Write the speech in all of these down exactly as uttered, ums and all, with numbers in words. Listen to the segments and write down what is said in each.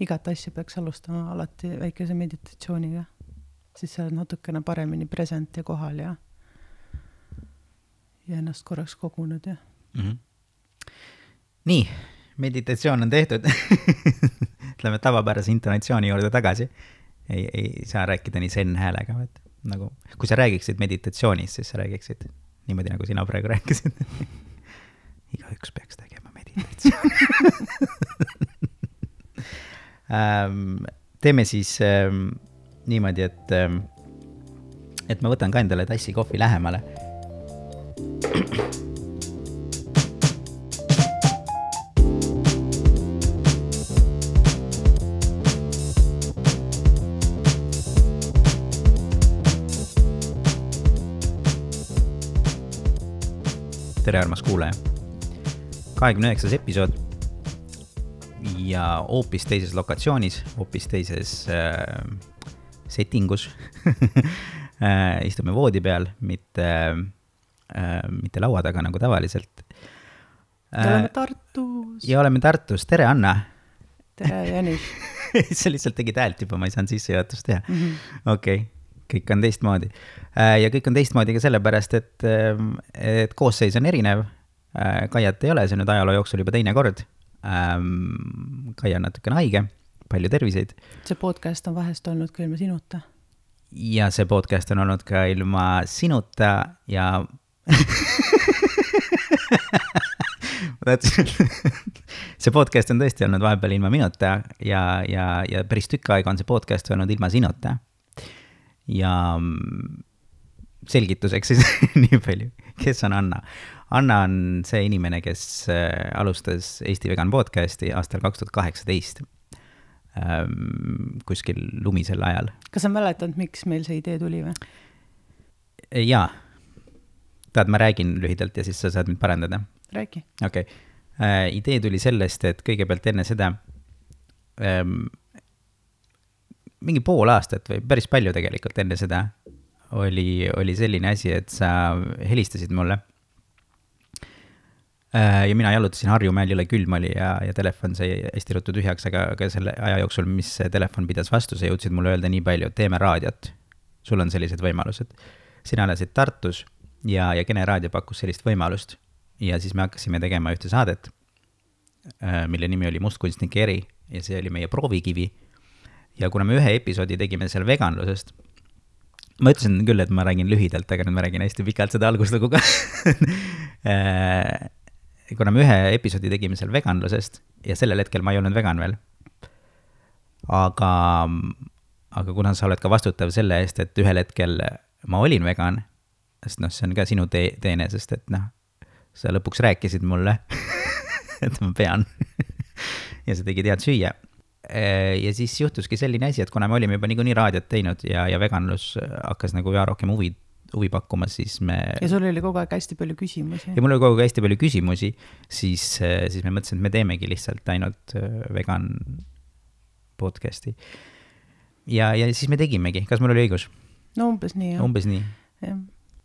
igat asja peaks alustama alati väikese meditatsiooniga. Siis sa oled natukene paremini present ja kohal ja, ja ennast korraks kogunud. Ja. Mm-hmm. Nii, meditatsioon on tehtud. Lähme tavapärase intonatsiooni juurde tagasi. Ei, ei saa rääkida nii zen häälega. Et nagu, kui sa räägiksid meditatsioonis, siis sa räägiksid niimoodi, nagu sina praegu rääkisid. Igaüks peaks tegema meditatsiooni. ähm, teeme siis ähm, niimoodi, et, ähm, et ma võtan ka endale tassi kohvi lähemale. Tere armas kuulaja. kahekümne üheksas episood ja hoopis teises lokatsioonis, hoopis teises äh, settingus. äh, istume voodi peal, mitte, äh, mitte laua taga nagu tavaliselt. Äh, oleme Tartus. Ja oleme Tartus. Tere Anna. Tere Janis. Sa lihtsalt tegid häält juba, ma ei saanud sisse juhatust teha. Mm-hmm. Okei. Okay. Kõik on teistmoodi. Ja kõik on teistmoodi ka sellepärast, et, et koosseis on erinev. Kaiat ei ole, see nüüd ajaloo jooksul juba teine kord. Kaia on natukene haige, palju terviseid. See podcast on vahest olnud ka ilma sinuta. Ja see podcast on olnud ka ilma sinuta ja... see podcast on tõesti olnud vahepeal ilma minuta ja, ja, ja päris tükk aega on see podcast olnud ilma sinuta. Ja selgituseks siis nii palju. Kes on Anna? Anna on see inimene, kes alustas Eesti Vegan podcasti aastal kaks tuhat kaheksateist kuskil lumisel ajal. Kas sa mäletad, miks meil see idee tuli või? Jaa. Tahad, ma räägin lühidalt ja siis sa saad mind parandada? Räägi. Okei. Okay. Idee tuli sellest, et kõigepealt enne seda ähm, mingi pool aastat või päris palju tegelikult enne seda oli, oli selline asi, et sa helistasid mulle. Ja mina jalutasin Harjumäel, jõle külm oli ja, ja telefon sai hästi ruttu tühjaks, aga, aga selle aja jooksul, mis telefon pidas vastu, sa jõudsid mulle öelda nii palju, et teeme raadiot. Sul on sellised võimalused. Sina elasid Tartus ja, ja Kene raadio pakkus sellist võimalust. Ja siis me hakkasime tegema ühte saadet, mille nimi oli Mustkunstnike eri ja see oli meie proovikivi. Ja kuna me ühe episoodi tegime seal veganlusest, ma ütlesin küll, et ma räägin lühidalt, aga nüüd ma räägin hästi pikalt seda alguslugu ka. kuna me ühe episoodi tegime seal veganlusest ja sellel hetkel ma ei olnud vegan veel. Aga, aga kuna sa oled ka vastutav selle eest, et ühel hetkel ma olin vegan, sest noh, see on ka sinu te- teene, sest et noh, sa lõpuks rääkisid mulle, et ma pean. ja sa tegid head süüa. Ja siis juhtuski selline asi, et kuna me olime juba niikuinii raadiot teinud ja, ja veganlus hakkas nagu üha rohkem huvi, huvi pakkuma, siis me... Ja sul oli kogu aeg hästi palju küsimusi. Ja mul oli kogu aeg hästi palju küsimusi, siis, siis me mõtlesin, et me teemegi lihtsalt ainult vegan podcasti. Ja, ja siis me tegimegi. Kas mul oli õigus? No umbes nii, jah. Umbes nii. Ja.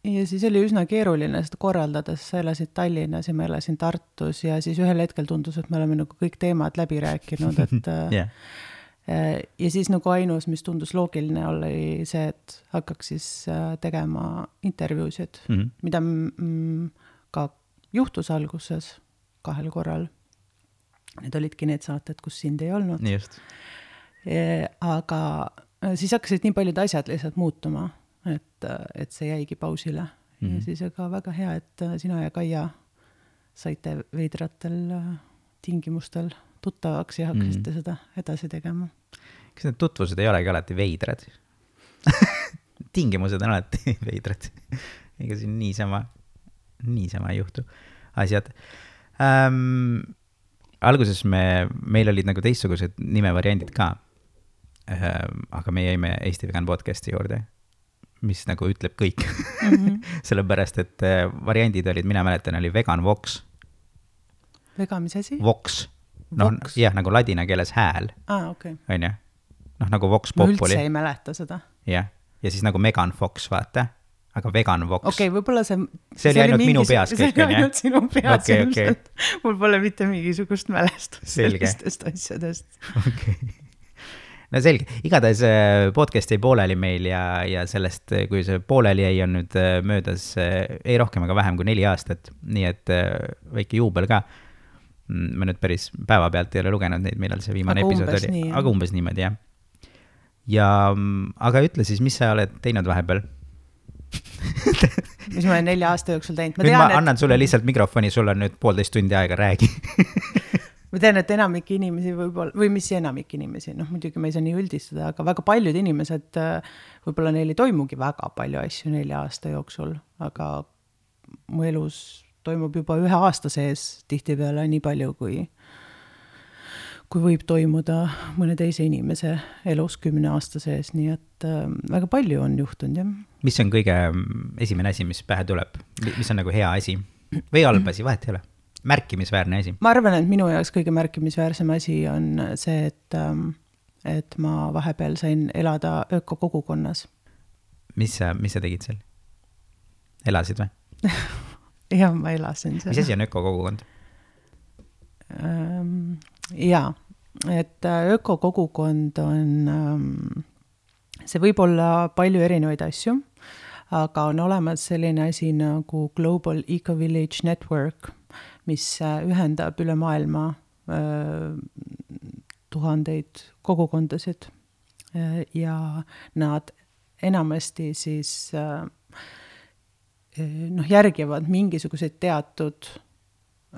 ja siis oli üsna keeruline seda korraldades, sa elasid Tallinnas ja ma elasin Tartus ja siis ühel hetkel tundus, et me oleme nagu kõik teemad läbi rääkinud, et yeah. ja siis nagu ainus, mis tundus loogiline oli see, et hakkaks siis tegema intervjuusid, mm-hmm. mida mm, ka juhtus alguses kahel korral. Need olidki need saated, kus sind ei olnud. Just. Ja, aga siis hakkasid nii paljud asjad lihtsalt muutuma, et, et see jäigi pausile. Mm-hmm. Ja siis aga väga hea, et sina ja Kaia saite veidratel tingimustel tuttavaks ja hakkasite mm-hmm. seda edasi tegema. Kas need tutvused ei olegi alati veidrad? Tingimused on alati veidrad. Ega siin niisama, niisama ei juhtu asjad. Ähm, alguses me, meil olid nagu teistsugused nimevariandid ka, ähm, aga me jäime Eesti Vegan podcasti juurde, mis nagu ütleb kõik. Mm-hmm. Sellepärast, et variandid olid, mina mäletan, oli Vegan Vox. Vegan, mis asi? Vox. No, jah, nagu ladina keeles hääl. Ah, okei. Okay. On ju? Noh, nagu Vox Populi. Ma üldse ei mäleta seda. Jah. Ja siis nagu Megan Fox, vaata. aga Vegan Vox. okei okay,, võib-olla see see oli ainult minu peas kõik, see oli ainult sinu peas okay, ilmselt okay. Mul pole mitte mingisugust mälestust selge. Sellistest asjadest. okei okay. No selge, igatahes podcast jäi pooleli meil ja, ja sellest, kui see pooleli jäi, on nüüd möödas ei rohkem, aga vähem kui neli aastat, nii et väike juubel ka. Ma nüüd päris päeva pealt ei ole lugenud neid, millal see viimane aga episood oli, nii, aga umbes niimoodi, jah. Ja, aga ütle siis, mis sa oled teinud vahepeal? mis ma olen nelja aasta jooksul teinud. Ma, tean, ma annan et... sulle lihtsalt mikrofoni, sul on nüüd poolteist tundi aega, räägi. ma tean, et enamik inimesi võib-olla, või mis enamik inimesi, noh muidugi ma ei saa nii üldistada, aga väga paljud inimesed, võib-olla neil ei toimugi väga palju asju nelja aasta jooksul, aga mu elus toimub juba ühe aasta sees tihtipeale nii palju, kui kui võib toimuda mõne teise inimese elus kümne aasta sees, nii et äh, väga palju on juhtunud, jah. Mis on kõige esimene asi, mis pähe tuleb? Mis on nagu hea asi? Või halb asi, vahet ei ole? Märkimisväärne asi? Ma arvan, et minu jaoks kõige märkimisväärsem asi on see, et, et ma vahepeal sain elada ökokogukonnas. Mis sa, mis sa tegid seal? Elasid või? jah, ma elasin seal. Mis asi on ökokogukond? Ähm, jaa, et ökokogukond on, see võib olla palju erinevaid asju, aga on olemas selline asi nagu Global Eco Village Network, mis ühendab üle maailma tuhandeid kogukondasid ja nad enamasti siis noh, järgivad mingisuguseid teatud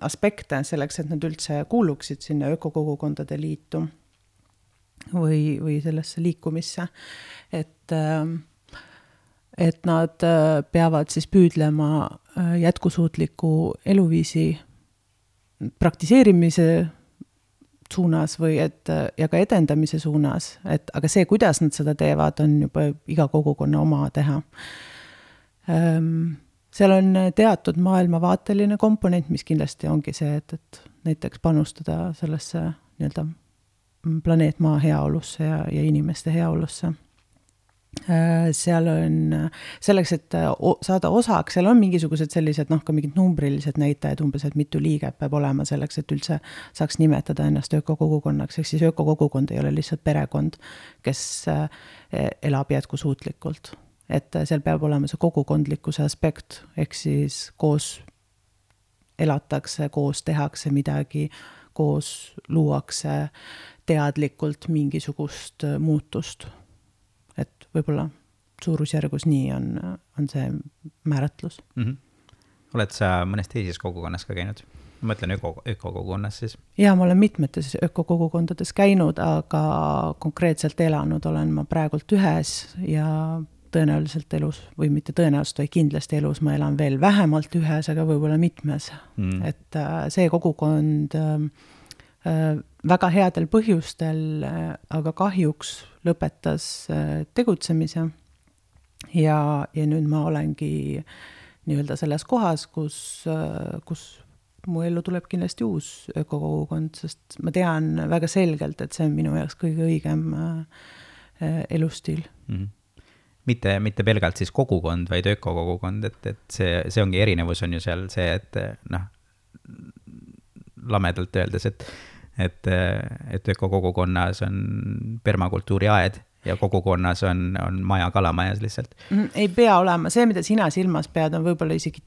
aspekte selleks, et nad üldse kuuluksid sinna ökokogukondade liitu või, või sellesse liikumisse, et, et nad peavad siis püüdlema jätkusuutliku eluviisi praktiseerimise suunas või et, ja ka edendamise suunas, et aga see, kuidas nad seda teevad, on juba iga kogukonna oma teha. Seal on teatud maailmavaateline komponent, mis kindlasti ongi see, et, et näiteks panustada sellesse nii-öelda planeet maa heaolusse ja, ja inimeste heaolusse. Seal on selleks, et saada osaks, seal on mingisugused sellised, noh, ka mingid numbrilised näitajad, umbes, et mitu liiget peab olema selleks, et üldse saaks nimetada ennast ökokogukonnaks, ehk siis ökokogukond ei ole lihtsalt perekond, kes elab jätkusuutlikult. Et seal peab olema see kogukondlikkuse aspekt, ehk siis koos elatakse, koos tehakse midagi, koos luuakse teadlikult mingisugust muutust. Et võib-olla suurusjärgus nii on, on see määratlus. Mm-hmm. Oled sa mõnes teises kogukonnas ka käinud? Ma mõtlen öko, ökokogukonnas siis. Ja, ma olen mitmetes ökokogukondades käinud, aga konkreetselt elanud olen ma praegult ühes ja tõenäoliselt elus, või mitte tõenäoliselt, või kindlasti elus ma elan veel vähemalt ühes, aga võib-olla mitmes. Mm. Et see kogukond väga headel põhjustel, aga kahjuks lõpetas tegutsemise ja, ja nüüd ma olengi nii-öelda selles kohas, kus, kus mu ellu tuleb kindlasti uus ökokogukond, sest ma tean väga selgelt, et see on minu jaoks kõige õigem elustiil. Mm. Mitte, mitte pelgalt siis kogukond, vaid ökokogukond, et, et see, see ongi erinevus on ju seal see, et noh, lamedalt öeldes, et, et, et ökokogukonnas on permakultuuri aed ja kogukonnas on, on maja kalamajas lihtsalt. Ei pea olema. See, mida sina silmas pead, on võib-olla isegi,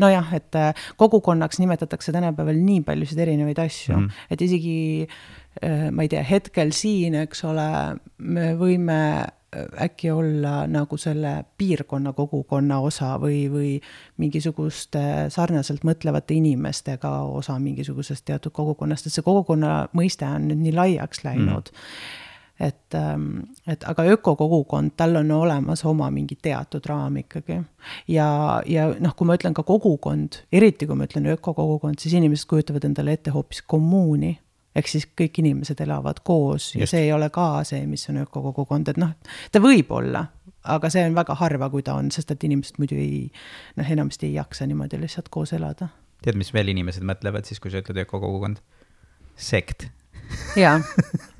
no jah, et kogukonnaks nimetatakse tänapäeval nii paljusid erinevaid asju, mm. et isegi, ma ei tea, hetkel siin, eks ole, me võime äkki olla nagu selle piirkonna kogukonna osa või, või mingisuguste sarnaselt mõtlevate inimestega osa mingisugusest teatud kogukonnast, et see kogukonna mõiste on nüüd nii laiaks läinud. Mm. Et, et aga ökokogukond, tal on olemas oma mingi teatud raam ikkagi. Ja, ja noh, kui ma ütlen ka kogukond, eriti kui ma ütlen ökokogukond, siis inimesed kujutavad endale ette hoopis kommuuni. Ehk siis kõik inimesed elavad koos ja Just. See ei ole ka see, mis on ökokogukond, et noh, ta võib olla, aga see on väga harva, kui ta on, sest et inimesed muidu ei, noh, enamasti ei jaksa niimoodi lihtsalt koos elada. Tead, mis veel inimesed mõtlevad siis, kui sa ütled ökokogukond? Sekt. Jaa,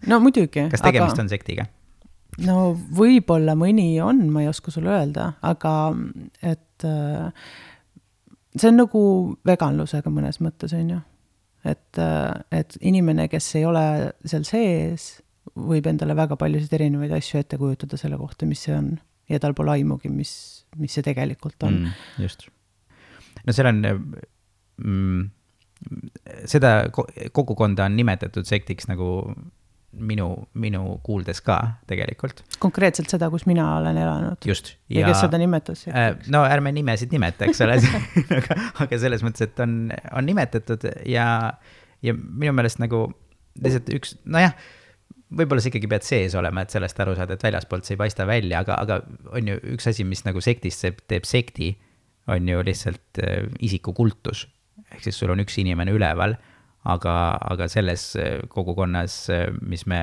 no muidugi. Kas tegemist aga... on sektiga? no võib-olla mõni on, ma ei oska sulle öelda, aga et see on nagu veganlusega mõnes mõttes, on ju. Et, et inimene, kes ei ole seal sees, võib endale väga paljusid erinevaid asju ette kujutada selle kohta, mis see on. Ja tal pole aimugi, mis, mis see tegelikult on. Mm, just. No seal on, mm, seda kogukonda on nimetatud sektiks nagu minu, minu kuuldes ka tegelikult. Konkreetselt seda, kus mina olen elanud. Just. Ja, ja kes seda nimetas? Äh, no ärme nimesid nimeta, eks ole, aga, aga selles mõttes, et on, on nimetatud ja, ja minu meelest nagu lihtsalt üks, no jah, võib-olla sa ikkagi pead sees olema, et sellest aru saada, et väljaspoolt see ei paista välja, aga, aga on ju üks asi, mis nagu sektist teeb sekti, on ju lihtsalt äh, isikukultus. Ehk siis sul on üks inimene üleval, aga, aga selles kogukonnas, mis me,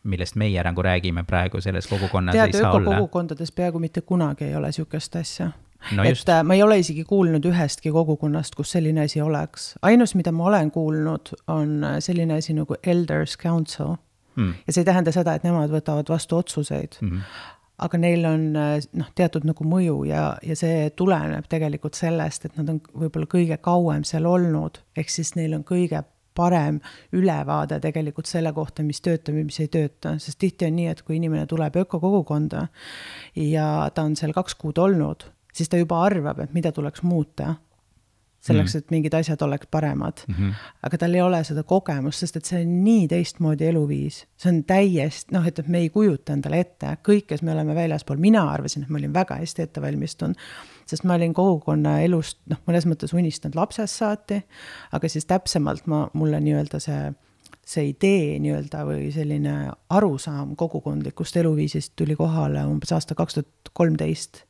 millest meie nagu räägime praegu, selles kogukonnas Tead, ei saa olla. Tead, ökokogukondades peaaegu mitte kunagi ei ole sükest asja. No et just. ma ei ole isegi kuulnud ühestki kogukonnast, kus selline asi oleks. Ainus, mida ma olen kuulnud, on selline asi nagu Elders Council. Mm. Ja see ei tähenda seda, et nemad võtavad vastu otsuseid. Mm-hmm. Aga neil on noh, teatud nagu mõju ja, ja see tuleneb tegelikult sellest, et nad on võib-olla kõige kauem seal olnud, ehk siis neil on kõige parem ülevaade tegelikult selle kohta, mis töötab ja mis ei tööta, sest tihti on nii, et kui inimene tuleb ökokogukonda ja ta on seal kaks kuud olnud, siis ta juba arvab, et mida tuleks muuta, selleks, et mingid asjad oleks paremad. Mm-hmm. Aga tal ei ole seda kogemust, sest et see on nii teistmoodi eluviis. See on täiesti, noh, et me ei kujuta endale ette. Kõik, kes me oleme väljaspool, mina arvasin, et ma olin väga hästi ette valmistunud, sest ma olin kogukonna elust, noh, mõnes mõttes unistanud lapsest saati, aga siis täpsemalt ma, mulle nii-öelda see, see idee nii-öelda või selline arusaam kogukondlikust eluviisist tuli kohale umbes aasta kaks tuhat kolmteist.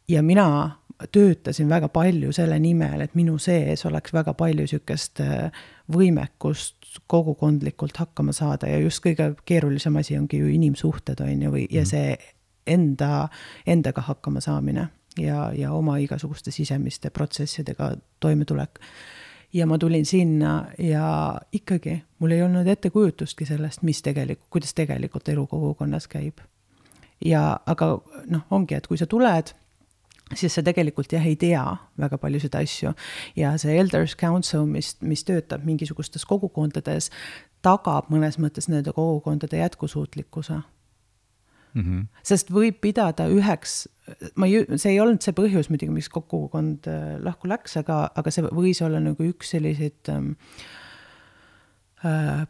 Ja mina töötasin väga palju selle nimel, et minu sees oleks väga palju sükest võimekust kogukondlikult hakkama saada ja just kõige keerulisem asi ongi ju inimsuhted on ju, või, ja see enda, endaga hakkama saamine ja, ja oma igasuguste sisemiste protsessidega toimetulek. Ja ma tulin sinna ja ikkagi mul ei olnud ettekujutustki sellest, mis tegelikult, kuidas tegelikult elu kogukonnas käib. Ja, aga noh, ongi, et kui sa tuled, siis sa tegelikult jah ei tea väga palju seda asju ja see Elders Council, mis, mis töötab mingisugustes kogukondades, tagab mõnes mõttes nende kogukondade jätkusuutlikkuse. Mm-hmm. Sest võib pidada üheks, ma ei, see ei olnud see põhjus, muidugi, miks kogukond lahku läks, aga, aga see võis olla nagu üks selliseid ähm, äh,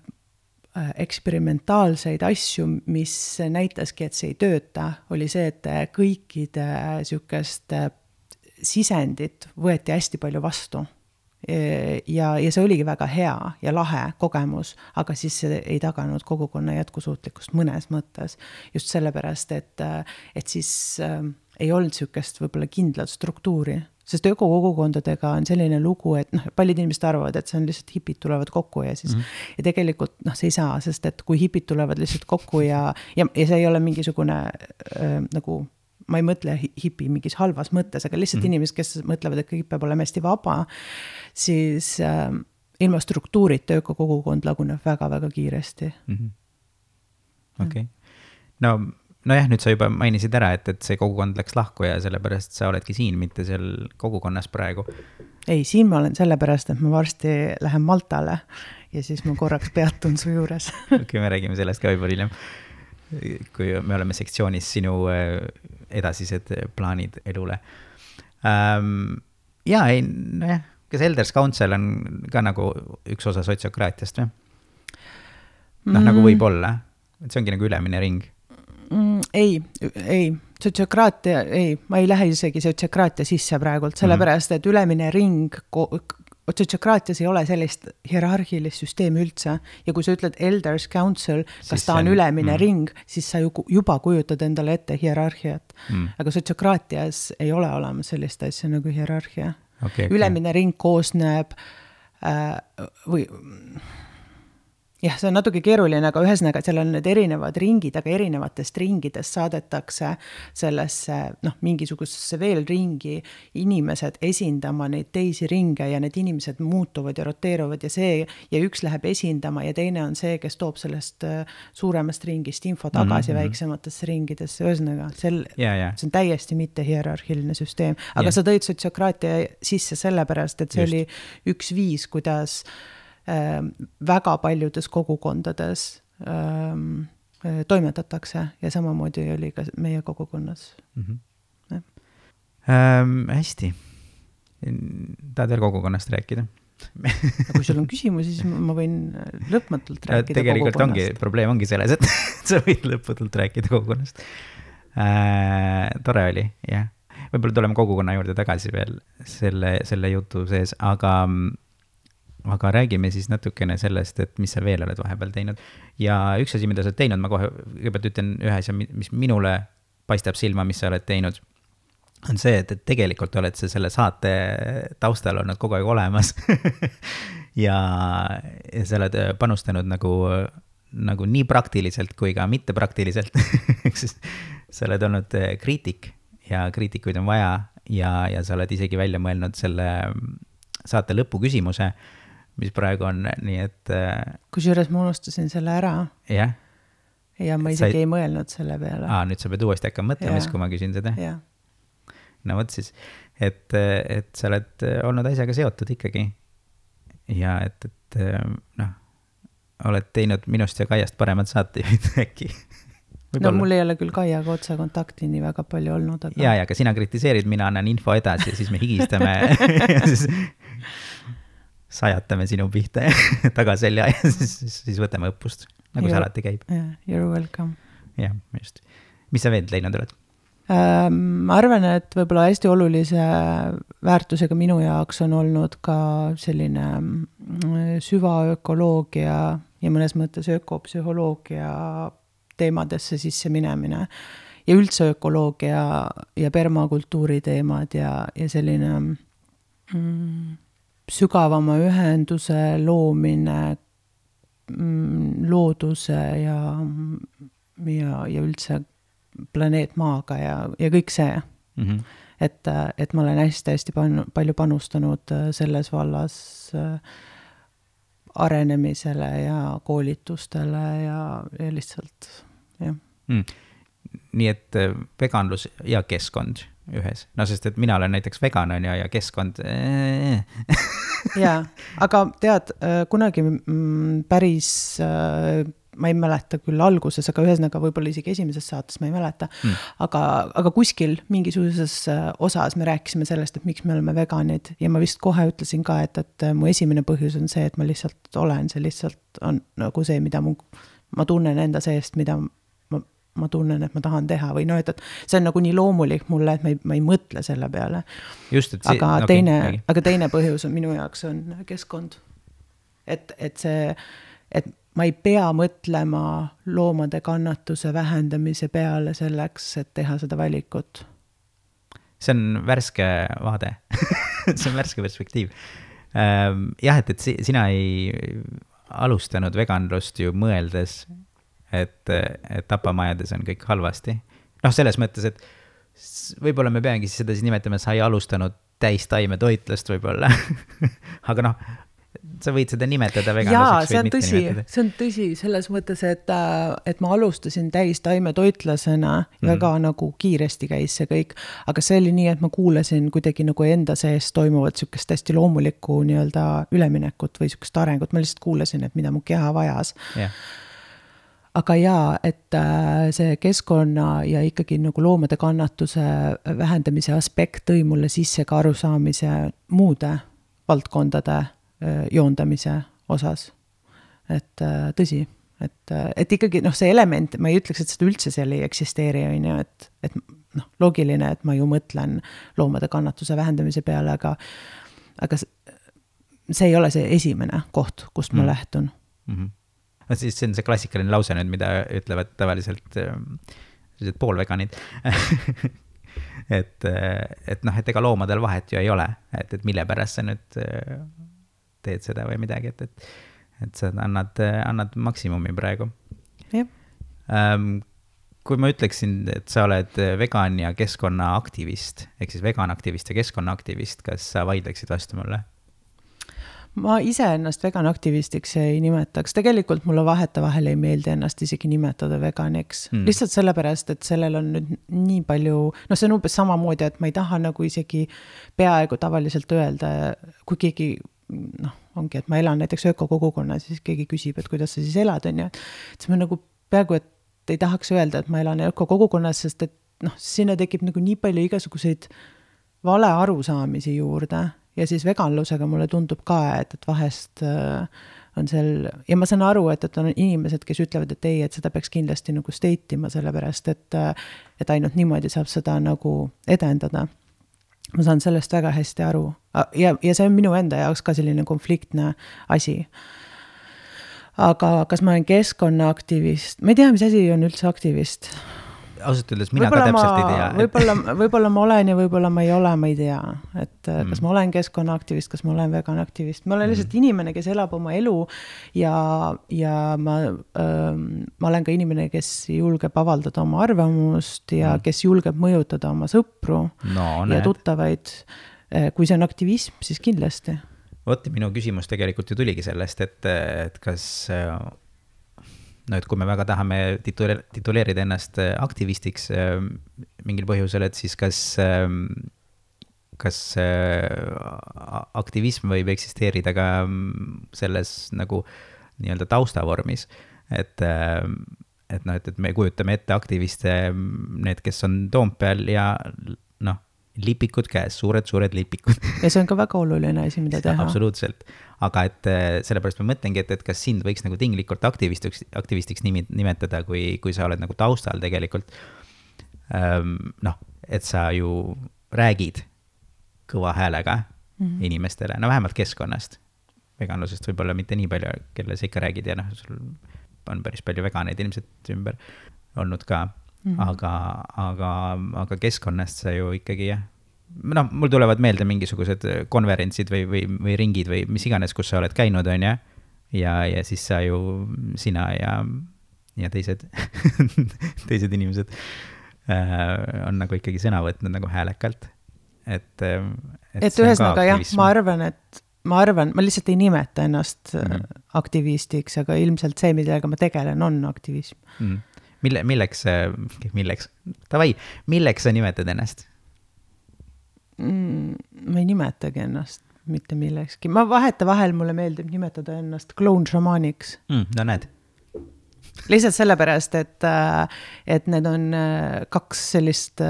eksperimentaalseid asju, mis näitaski, et see ei tööta, oli see, et kõikide sükest sisendit võeti hästi palju vastu. Ja, ja see oligi väga hea ja lahe kogemus, aga siis see ei taganud kogukonna jätkusuutlikkust mõnes mõttes. Just sellepärast, et, et siis äh, ei olnud sükest võib-olla kindlat struktuuri. Sest ökokogukondadega on selline lugu, et noh, paljud inimesed arvavad, et see on lihtsalt hipid tulevad kokku ja siis mm-hmm. ja tegelikult noh, see ei saa, sest et kui hipid tulevad lihtsalt kokku ja, ja, ja see ei ole mingisugune äh, nagu, ma ei mõtle hipi mingis halvas mõttes, aga lihtsalt mm-hmm. inimesed, kes mõtlevad, et kõik peab olema hästi vaba, siis äh, ilma struktuurita ökokogukond laguneb väga-väga kiiresti. Mm-hmm. Okei. Okay. No Nojah, nüüd sa juba mainisid ära, et, et see kogukond läks lahku ja sellepärast sa oledki siin, mitte seal kogukonnas praegu. Ei, siin ma olen sellepärast, et ma varsti lähen Maltale ja siis ma korraks peatun su juures. Okei, me räägime sellest ka juba hiljem. Kui me oleme sektsioonis sinu edasised plaanid elule. Ähm, ja, ei, nojah, kas Elders Council on ka nagu üks osa sotsiokraatiast või? Noh, mm. nagu võib olla. Et see ongi nagu ülemine ring. Mm, ei, ei, sotsiokraatia, ei, ma ei lähe isegi sotsiokraatia sisse praegult, sellepärast, et ülemine ring, sotsiokraatias ei ole sellist hierarhilist süsteemi üldse ja kui sa ütled Elders Council, kas siis ta on ülemine mm. ring, siis sa ju juba kujutad endale ette hierarhiat, mm. aga sotsiokraatias ei ole olemas sellist asja nagu hierarhia. Okay, okay. Ülemine ring koosneb äh, või jah, see on natuke keeruline, aga ühesõnaga, seal on need erinevad ringid, aga erinevatest ringidest saadetakse sellesse, noh, mingisugusesse veel ringi inimesed esindama neid teisi ringe ja need inimesed muutuvad ja roteeruvad ja see, ja üks läheb esindama ja teine on see, kes toob sellest suuremast ringist info tagasi mm-hmm. väiksematesse ringidesse, ühesõnaga, sel, yeah, yeah. see on täiesti mitte hierarhiline süsteem, aga yeah. sa tõid sotsiokraatia sisse sellepärast, et see Just. oli üks viis, kuidas väga paljudes kogukondades ähm, toimetatakse ja samamoodi oli ka meie kogukonnas. Mm-hmm. Ähm, hästi. Tahad veel kogukonnast rääkida? Kui sul on küsimusi, siis ma võin lõpmatult rääkida tegelikult kogukonnast. Ongi, probleem ongi selles, et sa võid lõpmatult rääkida kogukonnast. Äh, tore oli, jah. Võib-olla tuleme kogukonna juurde tagasi veel selle, selle jutu sees, aga aga räägime siis natukene sellest, et mis sa veel oled vahepeal teinud. Ja üks asi, mida sa oled teinud, ma kohe kõigepealt ütlen ühe asja, mis minule paistab silma, mis sa oled teinud, on see, et, et tegelikult oled sa selle saate taustal olnud kogu aeg olemas ja, ja sa oled panustanud nagu, nagu nii praktiliselt kui ka mitte praktiliselt sa oled olnud kriitik ja kriitikuid on vaja ja, ja sa oled isegi välja mõelnud selle saate lõpu küsimuse, mis praegu on nii, et... Kusjuures ma unustasin selle ära. Jah. Ja ma isegi sa... ei mõelnud selle peale. Aa, nüüd sa pead uuesti hakkama mõtlemas, kui ma küsin seda. Ja. No võt siis, et, et sa oled olnud asjaga seotud ikkagi. Ja et, et noh, oled teinud minust ja Kaiast paremad saatejuhid äkki. Võib-olla. No mul ei ole küll Kaiaga otsa kontakti nii väga palju olnud. Aga... Ja, ja ka sina kritiseerid, mina annan info edasi ja siis me higistame ja siis sajatame sinu pihta tagaselja ja siis, siis, siis võtame õppust, nagu you're, see alati käib. Yeah, you're welcome. Jah, just. Mis sa veel teinud oled? Ma arvan, et võib-olla hästi olulise väärtusega minu jaoks on olnud ka selline süvaökoloogia ja mõnes mõttes ökopsühholoogia teemadesse sisse minemine ja üldse ökoloogia ja permakultuuri teemad ja, ja selline mm, sügavama ühenduse loomine mm, looduse ja, ja, ja üldse planeet maaga ja, ja kõik see. Mm-hmm. Et, et ma olen hästi-hästi palju panustanud selles vallas arenemisele ja koolitustele ja, ja lihtsalt, jah. Mm. Nii et veganlus ja keskkond ühes. No sest, et mina olen näiteks vegan on ja, ja keskkond... Jaa, aga tead, kunagi päris... ma ei mäleta küll alguses, aga ühesõnaga võib-olla isegi esimeses saates ma ei mäleta, mm. aga, aga kuskil mingisuguses osas me rääkisime sellest, et miks me oleme veganid ja ma vist kohe ütlesin ka, et, et mu esimene põhjus on see, et ma lihtsalt olen, see lihtsalt on nagu see, mida mu, ma tunnen enda seest, mida ma, ma tunnen, et ma tahan teha või no, et, et see on nagu nii loomulik mulle, et ma ei, ma ei mõtle selle peale. Just, et see, aga, okay, teine, okay. aga teine põhjus on minu jaoks on keskkond. Et, et see, et ma ei pea mõtlema loomade kannatuse vähendamise peale selleks, et teha seda valikut. See on värske vaade. see on värske perspektiiv. Jah, et, et sina ei alustanud veganlust ju mõeldes, et, et tapamajades on kõik halvasti. Noh, selles mõttes, et võib-olla me peangi seda siis nimetama, sa ei alustanud täistaime toitlust võib-olla. Aga noh, sa võid seda nimetada veganluseks. Jaa, see on tõsi, see on tõsi selles mõttes, et, et ma alustasin täistaime toitlasena mm. väga nagu kiiresti käis see kõik, aga see oli nii, et ma kuulasin kuidagi nagu enda sees toimuvat sükest hästi loomulikku nii-öelda üleminekut või sükest arengut, ma lihtsalt kuulasin, et mida mu keha vajas. Yeah. Aga jaa, et see keskkonna ja ikkagi nagu loomade kannatuse vähendamise aspekt tõi mulle sisse ka arusaamise muude valdkondade joondamise osas. Et tõsi, et, et ikkagi noh, see element, ma ei ütleks, et seda üldse seal ei eksisteeri, on ju, et, et noh, loogiline, et ma ju mõtlen loomade kannatuse vähendamise peale, aga, aga see ei ole see esimene koht, kust ma mm. lähtun. Mm-hmm. No, siis see on see klassikaline lause nüüd, mida ütlevad tavaliselt sellised poolveganid. et, et noh, et ega loomadel vahet ju ei ole, et, et mille pärast sa nüüd teed seda või midagi, et, et, et sa annad, annad maksimumi praegu. Jah. Um, kui ma ütleksin, et sa oled vegan ja keskkonnaaktivist, ehk siis veganaktivist ja keskkonnaaktivist, kas sa vaidleksid vastu mulle? Ma ise ennast veganaktivistiks ei nimetaks. Tegelikult mulle vahetevahel ei meeldi ennast isegi nimetada veganiks. Mm. Lihtsalt sellepärast, et sellel on nüüd nii palju, no see on umbes samamoodi, et ma ei taha nagu isegi peaaegu tavaliselt öelda, kui keegi, noh, ongi, et ma elan näiteks ökokogukonna, siis keegi küsib, et kuidas sa siis elad, on ja, et ma nagu peaaegu, et ei tahaks öelda, et ma elan ökokogukonnas, sest et noh, sinna tekib nagu nii palju igasuguseid vale arusaamisi juurde. Ja siis veganlusega mulle tundub ka, et, et vahest äh, on seal, ja ma saan aru, et, et on inimesed, kes ütlevad, et ei, et seda peaks kindlasti nagu steitima, sellepärast, et, et ainult niimoodi saab seda nagu edendada. Ma saan sellest väga hästi aru. Ja, ja see on minu enda jaoks ka selline konfliktne asi. Aga kas ma olen keskkonnaaktivist? Ma ei tea, mis asi on üldse aktivist. Ausalt öeldes mina võibolla ka täpselt ma, ei tea. Võibolla, võibolla ma olen ja võibolla ma ei ole, ma ei tea. Et mm. kas ma olen keskkonnaaktivist, kas ma olen veganaktivist. Ma olen lihtsalt mm. inimene, kes elab oma elu ja, ja ma, ähm, ma olen ka inimene, kes julgeb avaldada oma arvamust ja mm. kes julgeb mõjutada oma sõpru no, ja tuttavaid. Kui see on aktivism, siis kindlasti. Vot, minu küsimus tegelikult ju tuligi sellest, et, et kas... no et kui me väga tahame tituleerida ennast aktivistiks mingil põhjusel, et siis kas, kas aktivism võib eksisteerida ka selles nagu nii-öelda taustavormis, et, et noh, et, et me kujutame ette aktiviste, need, kes on Toompeal ja noh, lipikud käes, suured-suured lipikud. Ja see on ka väga oluline asi, mida teha. Absoluutselt. Aga et sellepärast ma mõtlengi, et, et kas sind võiks nagu tinglikult aktivistiks, aktivistiks nimetada, kui, kui sa oled nagu taustal tegelikult. Ähm, noh, et sa ju räägid kõva häälega mm-hmm. inimestele, no vähemalt keskkonnast. Veganlusest võib-olla mitte nii palju, kelle sa ikka räägid ja noh, sul on päris palju veganeid ilmselt ümber olnud ka. Mm-hmm. Aga, aga, aga keskkonnast sa ju ikkagi, jah. No, mul tulevad meelde mingisugused konverentsid või, või, või ringid või mis iganes, kus sa oled käinud, on ja, ja, ja siis sa ju, sina ja, ja teised, teised inimesed äh, on nagu ikkagi sõna võtnud nagu häälekalt. Et, et, et ühesnaga jah, ma arvan, et ma arvan, ma lihtsalt ei nimeta ennast mm-hmm. aktivistiks, aga ilmselt see, millega ma tegelen, on aktivism. Mm. Mille, milleks, milleks, tavai, milleks sa nimetad ennast? Mm, ma ei nimetagi ennast mitte millekski. Ma vaheta vahel mulle meeldib nimetada ennast kloonšamaaniks. Mm, no näed. Lihtsalt sellepärast, et, et need on kaks sellist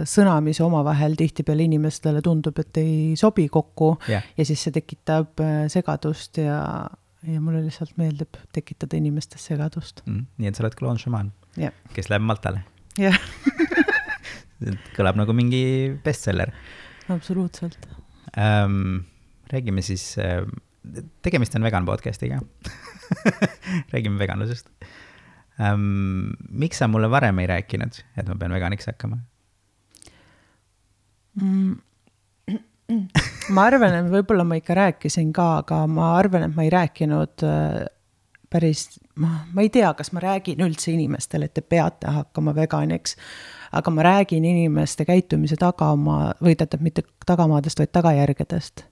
sõna, mis omavahel tihtipeale inimestele tundub, et ei sobi kokku yeah. ja siis see tekitab segadust ja, ja mulle lihtsalt meeldib tekitada inimestes segadust. Mm, nii et sa oled kloonšamaan, yeah. kes läheb Maltale. Jah. Yeah. Kõlab nagu mingi bestseller. Absoluutselt. Ähm, räägime siis, tegemist on vegan podcastiga. Räägime veganlusest. Ähm, miks sa mulle varem ei rääkinud, et ma pean veganiks hakkama? Mm. Ma arvan, et võib-olla ma ikka rääkisin ka, aga ma arvan, et ma ei rääkinud päris, ma, ma ei tea, kas ma räägin üldse inimestele, et te peate hakkama veganiks, aga ma räägin inimeste käitumise tagamaa, või tähendab mitte tagamaadest, vaid tagajärgedest.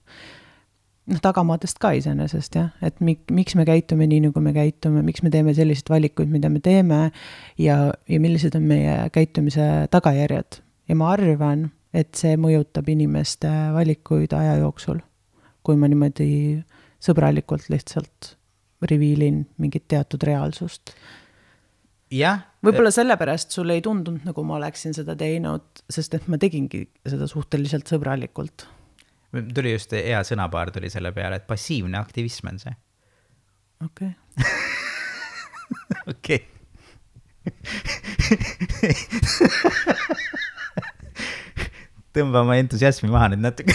Noh, tagamaadest ka iseenesest, jah, et mik, miks me käitume nii, nagu me käitume, miks me teeme sellised valikuid, mida me teeme ja, ja millised on meie käitumise tagajärjed. Ja ma arvan, et see mõjutab inimeste valikuid aja jooksul, kui ma niimoodi sõbralikult lihtsalt reviilin mingit teatud reaalsust. Jah. Võib-olla sellepärast sul ei tundunud, nagu ma oleksin seda teinud, sest et ma tegingi seda suhteliselt sõbralikult. Tuli just hea sõnapaar tuli selle peale, et passiivne aktivism on see. Okei. Okei. Tõmba oma entusiasmi maha nüüd natuke.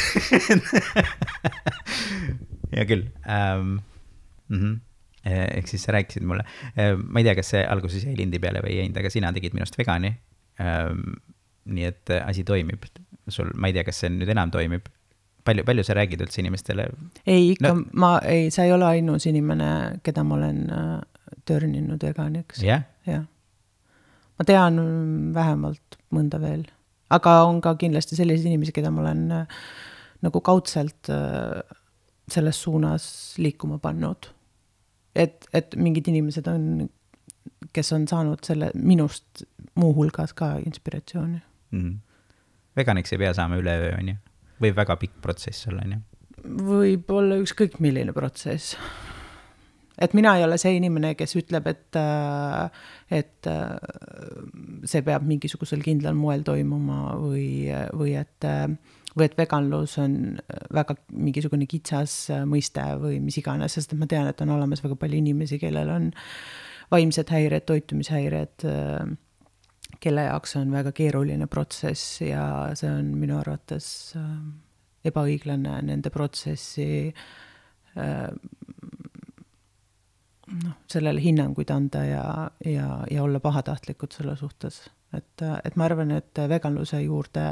Ja küll. Um, mm-hmm. Ehk siis sa rääkisid mulle. Ma ei tea, kas see alguses jäi lindi peale või jäinud, aga sina tegid minust vegani. Um, nii et asi toimib. Sul, ma ei tea, kas see nüüd enam toimib palju, palju sa räägid üldse inimestele? Ei, ikka no. ma ei, sa ei ole ainus inimene, keda ma olen törninud veganiks. jah? jah. Ma tean vähemalt mõnda veel, aga on ka kindlasti selliseid inimesi, keda ma olen nagu kaudselt selles suunas liikuma pannud. Et, et mingid inimesed on, kes on saanud selle minust muu hulgas ka inspiratsiooni. Mm. Veganiks ei pea saama üleöö, on ju? Või väga pikk protsess olla, on ju? Võib olla ükskõik milline protsess. Et mina ei ole see inimene, kes ütleb, et, et see peab mingisugusel kindlal moel toimuma või, või, et, või et veganlus on väga mingisugune kitsas mõiste või mis iganes, sest ma tean, et on olemas väga palju inimesi, kellel on vaimsed häired, toitumishäired, kelle jaoks on väga keeruline protsess ja see on minu arvates ebaõiglane nende protsessi noh, sellele hinnanguid anda ja, ja, ja olla pahatahtlikud selle suhtes. Et, et ma arvan, et veganluse juurde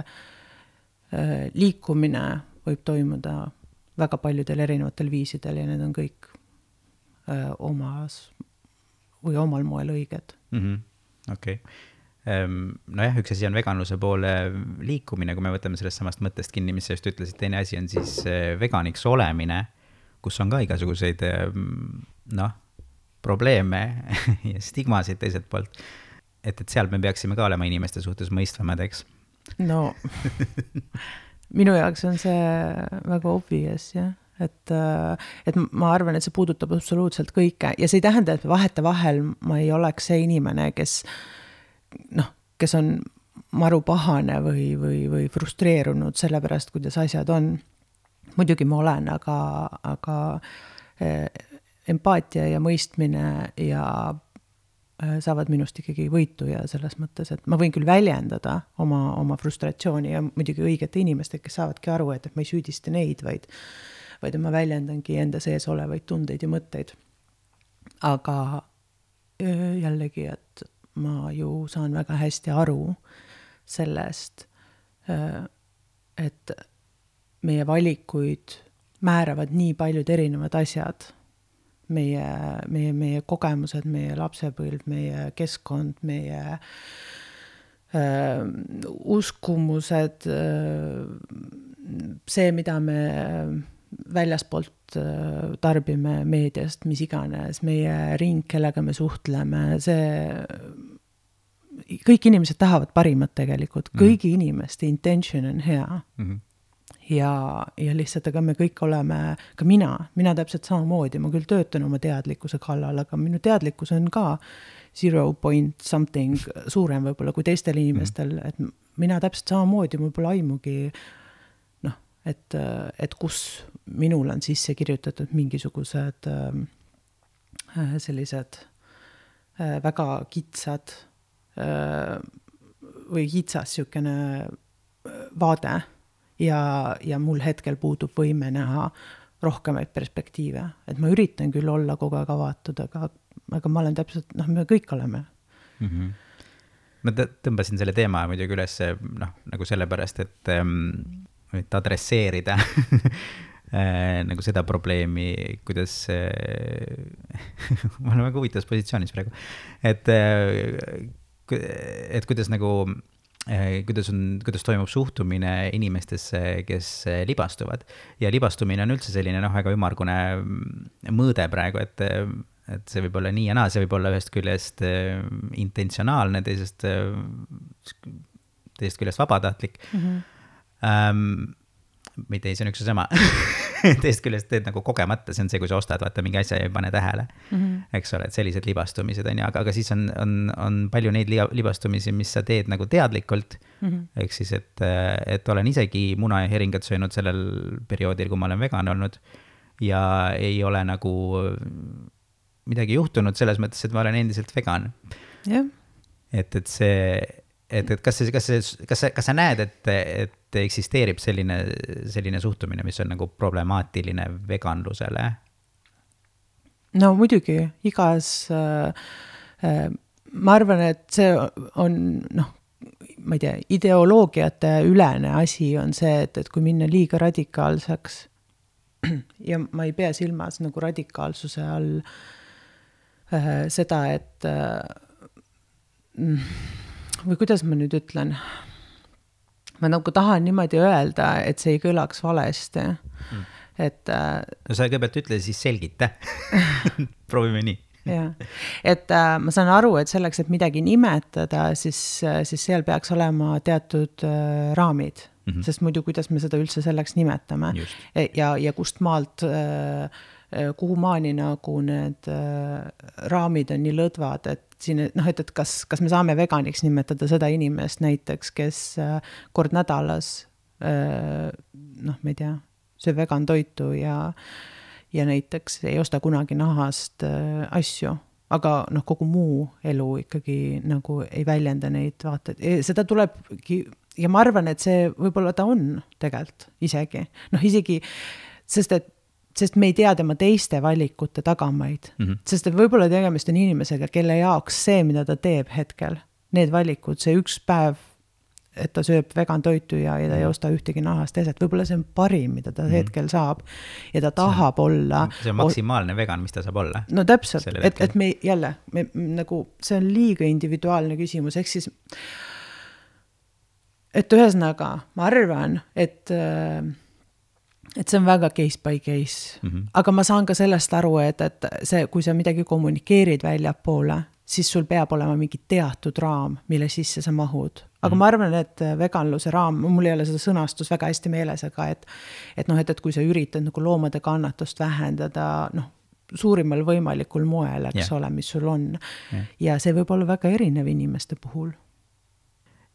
liikumine võib toimuda väga paljudel erinevatel viisidel ja need on kõik omas või omal moel õiged. Mm-hmm. Okei. Okay. No jah, üks asi on veganluse poole liikumine, kui me võtame sellest samast mõttest kinni, mis sa just ütlesid, teine asi on siis veganiks olemine, kus on ka igasuguseid noh, probleeme ja stigmasid teiselt poolt. Et, et seal me peaksime ka olema inimeste suhtes mõistvamad, eks? No, minu jaoks on see väga obvious, jah. Et, et ma arvan, et see puudutab absoluutselt kõike ja see ei tähenda, et vahete vahel ma ei oleks see inimene, kes noh, kes on maru pahane või, või, või frustreerunud selle pärast, kuidas asjad on. Muidugi ma olen, aga, aga empaatia ja mõistmine ja saavad minust ikkagi võitu ja selles mõttes, et ma võin küll väljendada oma, oma frustratsiooni ja muidugi õigete inimeste, kes saavadki aru, et, et ma ei süüdista neid, vaid, vaid ma väljendangi enda sees olevaid tundeid ja mõtteid. Aga jällegi, et ma ju saan väga hästi aru sellest, et meie valikuid määravad nii paljud erinevad asjad. Meie, meie, meie kogemused, meie lapsepõlv, meie keskkond, meie äh, uskumused, äh, see, mida me väljaspoolt äh, tarbime meediast, mis iganes, meie ring, kellega me suhtleme, see, kõik inimesed tahavad parimat tegelikult, kõigi mm. inimeste intention on hea. Mm-hmm. Ja, ja lihtsalt, aga me kõik oleme, ka mina, mina täpselt samamoodi, ma küll töötan oma teadlikkuse kallal, aga minu teadlikkus on ka zero point something suurem võib-olla kui teistel inimestel, et mina täpselt samamoodi, mul pole aimugi, noh, et, et kus minul on sisse kirjutatud mingisugused äh, sellised äh, väga kitsad äh, või kitsas siukene vaade, ja, ja mul hetkel puudub võime näha rohkemaid perspektiive. Et ma üritan küll olla kogu aeg avatud, aga, aga ma olen täpselt, noh, me kõik oleme. Mm-hmm. Ma tõmbasin selle teema muidugi üles, noh, nagu sellepärast, et, et adresseerida nagu seda probleemi, kuidas ma olen väga huvitavas positsioonis praegu, et, et kuidas nagu kuidas, on, kuidas toimub suhtumine inimestesse, kes libastuvad. Ja libastumine on üldse selline noh, väga ümargune mõõde praegu, et, et see võib olla nii ja naa, see võib olla ühest küljest intentsionaalne, teisest, teisest küljest vabatahtlik. Mm-hmm. Um, mitte ei, see on üks ja sama. Teist küljest teed nagu kogemata, see on see, kui sa ostad, vaata mingi asja ja ei pane tähele. Mm-hmm. Eks ole, et sellised libastumised on ja, aga, aga siis on, on, on palju neid libastumisi, mis sa teed nagu teadlikult. Mm-hmm. Ehk siis, et, et olen isegi muna ja heringat söönud sellel perioodil, kui ma olen vegan olnud ja ei ole nagu midagi juhtunud selles mõttes, et ma olen endiselt vegan. Yeah. Et, et see, et, et kas, see, kas, see, kas, sa, kas sa näed, et, et eksisteerib selline, selline suhtumine, mis on nagu problemaatiline veganlusele? No muidugi, igas, äh, äh, ma arvan, et see on, noh, ma ei tea, ideoloogiate ülene asi on see, et, et kui minna liiga radikaalseks ja ma ei pea silmas nagu radikaalsuse all äh, seda, et äh, või kuidas ma nüüd ütlen, ma nagu tahan niimoodi öelda, et see ei kõlaks valesti, mm. et äh, no sa kõigepealt ütle, siis selgita. Proovime nii. Ja. Et äh, ma saan aru, et selleks, et midagi nimetada, siis, siis seal peaks olema teatud äh, raamid, mm-hmm. sest muidu kuidas me seda üldse selleks nimetame. Ja, ja kust maalt, äh, kuhu maani nagu need äh, raamid on nii lõdvad, et siin, noh, et, et kas, kas me saame veganiks nimetada seda inimest näiteks, kes äh, kord nädalas, äh, noh, ma ei tea, söö vegan toitu ja ja näiteks ei osta kunagi nahast äh, asju, aga noh, kogu muu elu ikkagi nagu ei väljenda neid vaateid. Seda tulebki, ja ma arvan, et see võib-olla ta on tegelikult isegi. Noh, isegi, sest et sest me ei tea tema teiste valikute tagamaid. Mm-hmm. Sest et võib-olla tegemist on inimesega, kelle jaoks see, mida ta teeb hetkel, need valikud, see üks päev, et ta sööb vegan toitu ja, ja ta ei osta ühtegi nahast eset. Võib-olla see on parim, mida ta hetkel saab ja ta tahab see on, olla. See on maksimaalne vegan, mis ta saab olla. No täpselt, et, et me jälle, me, nagu, see on liiga individuaalne küsimus, ehk siis, et ühesõnaga, ma arvan, et, et see on väga case by case, mm-hmm. aga ma saan ka sellest aru, et, et see, kui sa midagi kommunikeerid välja poole, siis sul peab olema mingi teatud raam, mille sisse sa mahud. Aga ma arvan, et veganluse raam, mul ei ole seda sõnastus väga hästi meeles, aga et, et, noh, et, et kui sa üritad nagu loomade kannatust vähendada, noh, suurimal võimalikul moel, eks yeah. ole, mis sul on. Yeah. Ja see võib olla väga erinev inimeste puhul.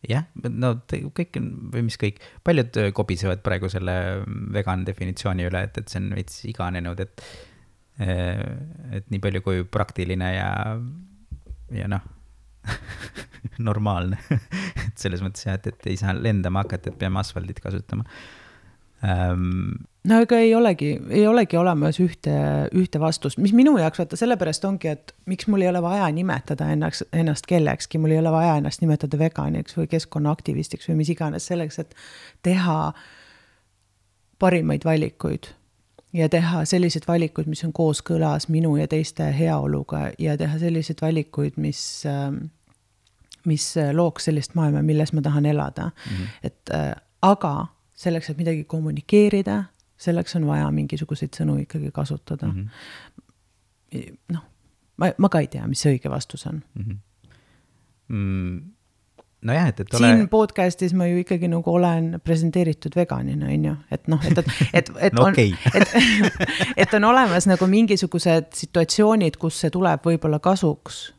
Jah, no kõik, või mis kõik, paljud kobisevad praegu selle vegan definitsiooni üle, et, et see on veits iganenud, et, et nii palju kui praktiline ja, ja noh, normaalne. Et selles mõttes jah, et, et ei saa lendama hakata, et peame asfaldit kasutama. Um, no ega ei olegi, ei olegi olemas ühte, ühte vastust, mis minu jaoks vaata sellepärast ongi, et miks mul ei ole vaja nimetada ennast, ennast kellekski, mul ei ole vaja ennast nimetada veganiks või keskkonnaaktivistiks või mis iganes selleks, et teha parimaid valikuid ja teha sellised valikud, mis on kooskõlas minu ja teiste heaoluga ja teha sellised valikuid, mis, mis looks sellist maailma, milles ma tahan elada. Mm-hmm. Et, aga selleks, et midagi kommunikeerida, selleks on vaja mingisuguseid sõnu ikkagi kasutada. Mm-hmm. Noh, ma, ma ka ei tea, mis see õige vastus on. Mm-hmm. Mm. No jah, et, et ole... Siin podcastis ma ju ikkagi nagu olen presenteeritud veganina, on ju? Et noh, et, et, et, et, no on, okay. et, et on olemas nagu mingisugused situatsioonid, kus see tuleb võib-olla kasuks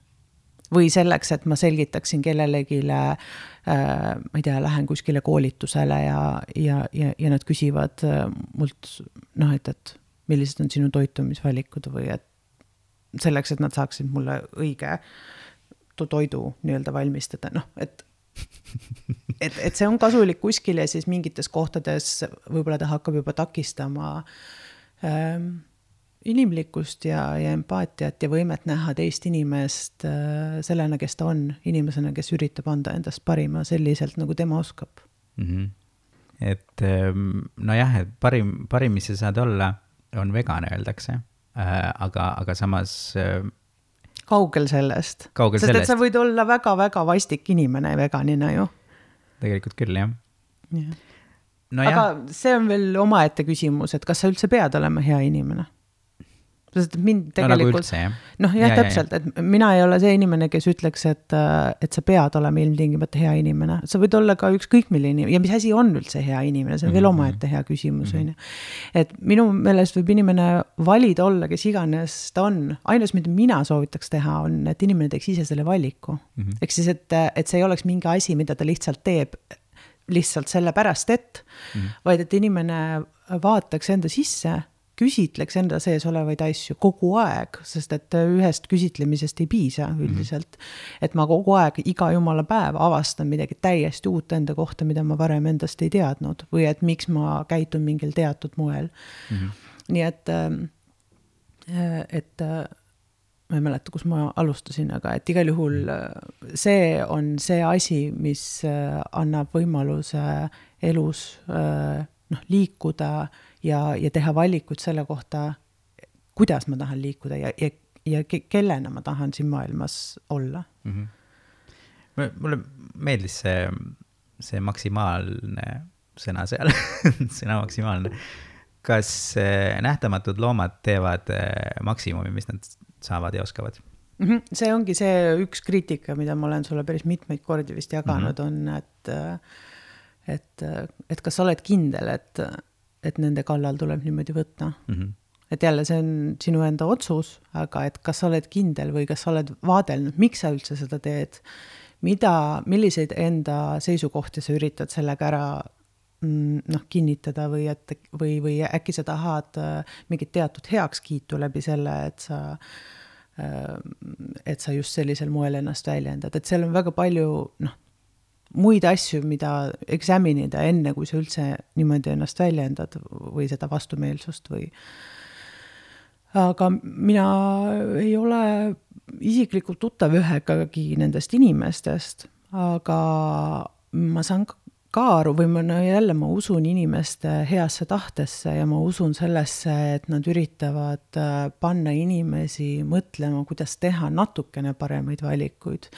või selleks, et ma selgitaksin kellelegile, äh, ma ei tea, lähen kuskile koolitusele ja, ja, ja, ja nad küsivad mult, noh, et, et millised on sinu toitumisvalikud või et selleks, et nad saaksid mulle õige toidu nii-öelda valmistada, noh, et et, et see on kasulik kuskil ja siis mingites kohtades võib-olla ta hakkab juba takistama ähm, inimlikkust ja, ja empaatiat ja võimet näha teist inimest äh, sellena, kes ta on, inimesena, kes üritab anda endast parima selliselt, nagu tema oskab. Mm-hmm. Et nojah, et parim, parim, mis sa saad olla, on vegan, öeldakse, äh, aga, aga samas äh, kaugel sellest. Kaugel Sest sellest. et sa võid olla väga-väga vastik inimene veganina ju. Tegelikult küll, jah. Ja. No aga jah. see on veel omaette küsimus, et kas sa üldse pead olema hea inimene? Sest mind tegelikult... No nagu üldse, jah. Noh, jah, ja, täpselt, ja, ja. et mina ei ole see inimene, kes ütleks, et, et sa pead olema ilmtingimata hea inimene. Sa võid olla ka ükskõik milline ja mis asi on üldse hea inimene, see on mm-hmm. veel omaette hea küsimus. Mm-hmm. Et minu meelest võib inimene valida olla, kes iganes ta on. Ainus, mida mina soovitaks teha, on, et inimene teeks ise selle valiku. Mm-hmm. Eks siis, et, et see ei oleks mingi asi, mida ta lihtsalt teeb lihtsalt selle pärast, et mm-hmm. vaid et inimene vaataks enda sisse, küsitleks enda sees olevaid asju kogu aeg, sest et ühest küsitlemisest ei piisa üldiselt. Mm-hmm. Et ma kogu aeg, iga jumala päev avastan midagi täiesti uut enda kohta, mida ma varem endast ei teadnud või et miks ma käitun mingil teatud moel. Mm-hmm. Nii et, et ma ei mäleta, kus ma alustasin, aga et igal juhul see on see asi, mis annab võimaluse elus noh, liikuda ja, ja teha valikuid selle kohta, kuidas ma tahan liikuda ja, ja, ja kellena ma tahan siin maailmas olla. Mm-hmm. Mulle meeldis see, see maksimaalne sõna seal, sõna maksimaalne. Kas nähtamatud loomad teevad maksimumi, mis nad saavad ja oskavad? Mm-hmm. See ongi see üks kriitika, mida ma olen sulle päris mitmeid kordi vist jaganud, mm-hmm. on, et, et, et kas sa oled kindel, et, et nende kallal tuleb niimoodi võtta. Mm-hmm. Et jälle see on sinu enda otsus, aga et kas sa oled kindel või kas sa oled vaadelnud, miks sa üldse seda teed, mida, milliseid enda seisukohti sa üritad sellega ära noh, kinnitada või, et, või, või äkki sa tahad mingit teatud heakskiitu läbi selle, et sa, et sa just sellisel moel ennast väljendad. Et seal on väga palju noh, muid asju, mida examinida enne, kui sa üldse niimoodi ennast väljendad või seda vastumeelsust või. Aga mina ei ole isiklikult tuttav ühegagi nendest inimestest, aga ma saan ka aru või ma jälle ma usun inimeste heasse tahtesse ja ma usun sellesse, et nad üritavad panna inimesi mõtlema, kuidas teha natukene paremaid valikuid.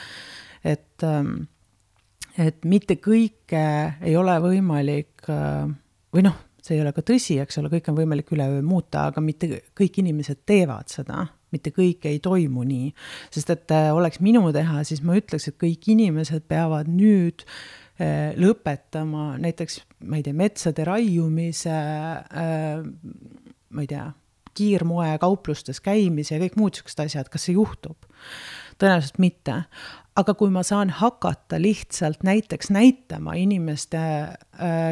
Et, et mitte kõike ei ole võimalik, või noh, see ei ole ka tõsi, eks ole, kõik on võimalik üleöö muuta, aga mitte kõik inimesed teevad seda, mitte kõik ei toimu nii. Sest et oleks minu teha, siis ma ütleks, et kõik inimesed peavad nüüd lõpetama näiteks, ma ei tea, metsade raiumise, ma ei tea, kiirmoe kauplustes käimise ja kõik muud sellised asjad, kas see juhtub? Tõenäoliselt mitte. Aga kui ma saan hakata lihtsalt näiteks näitama inimeste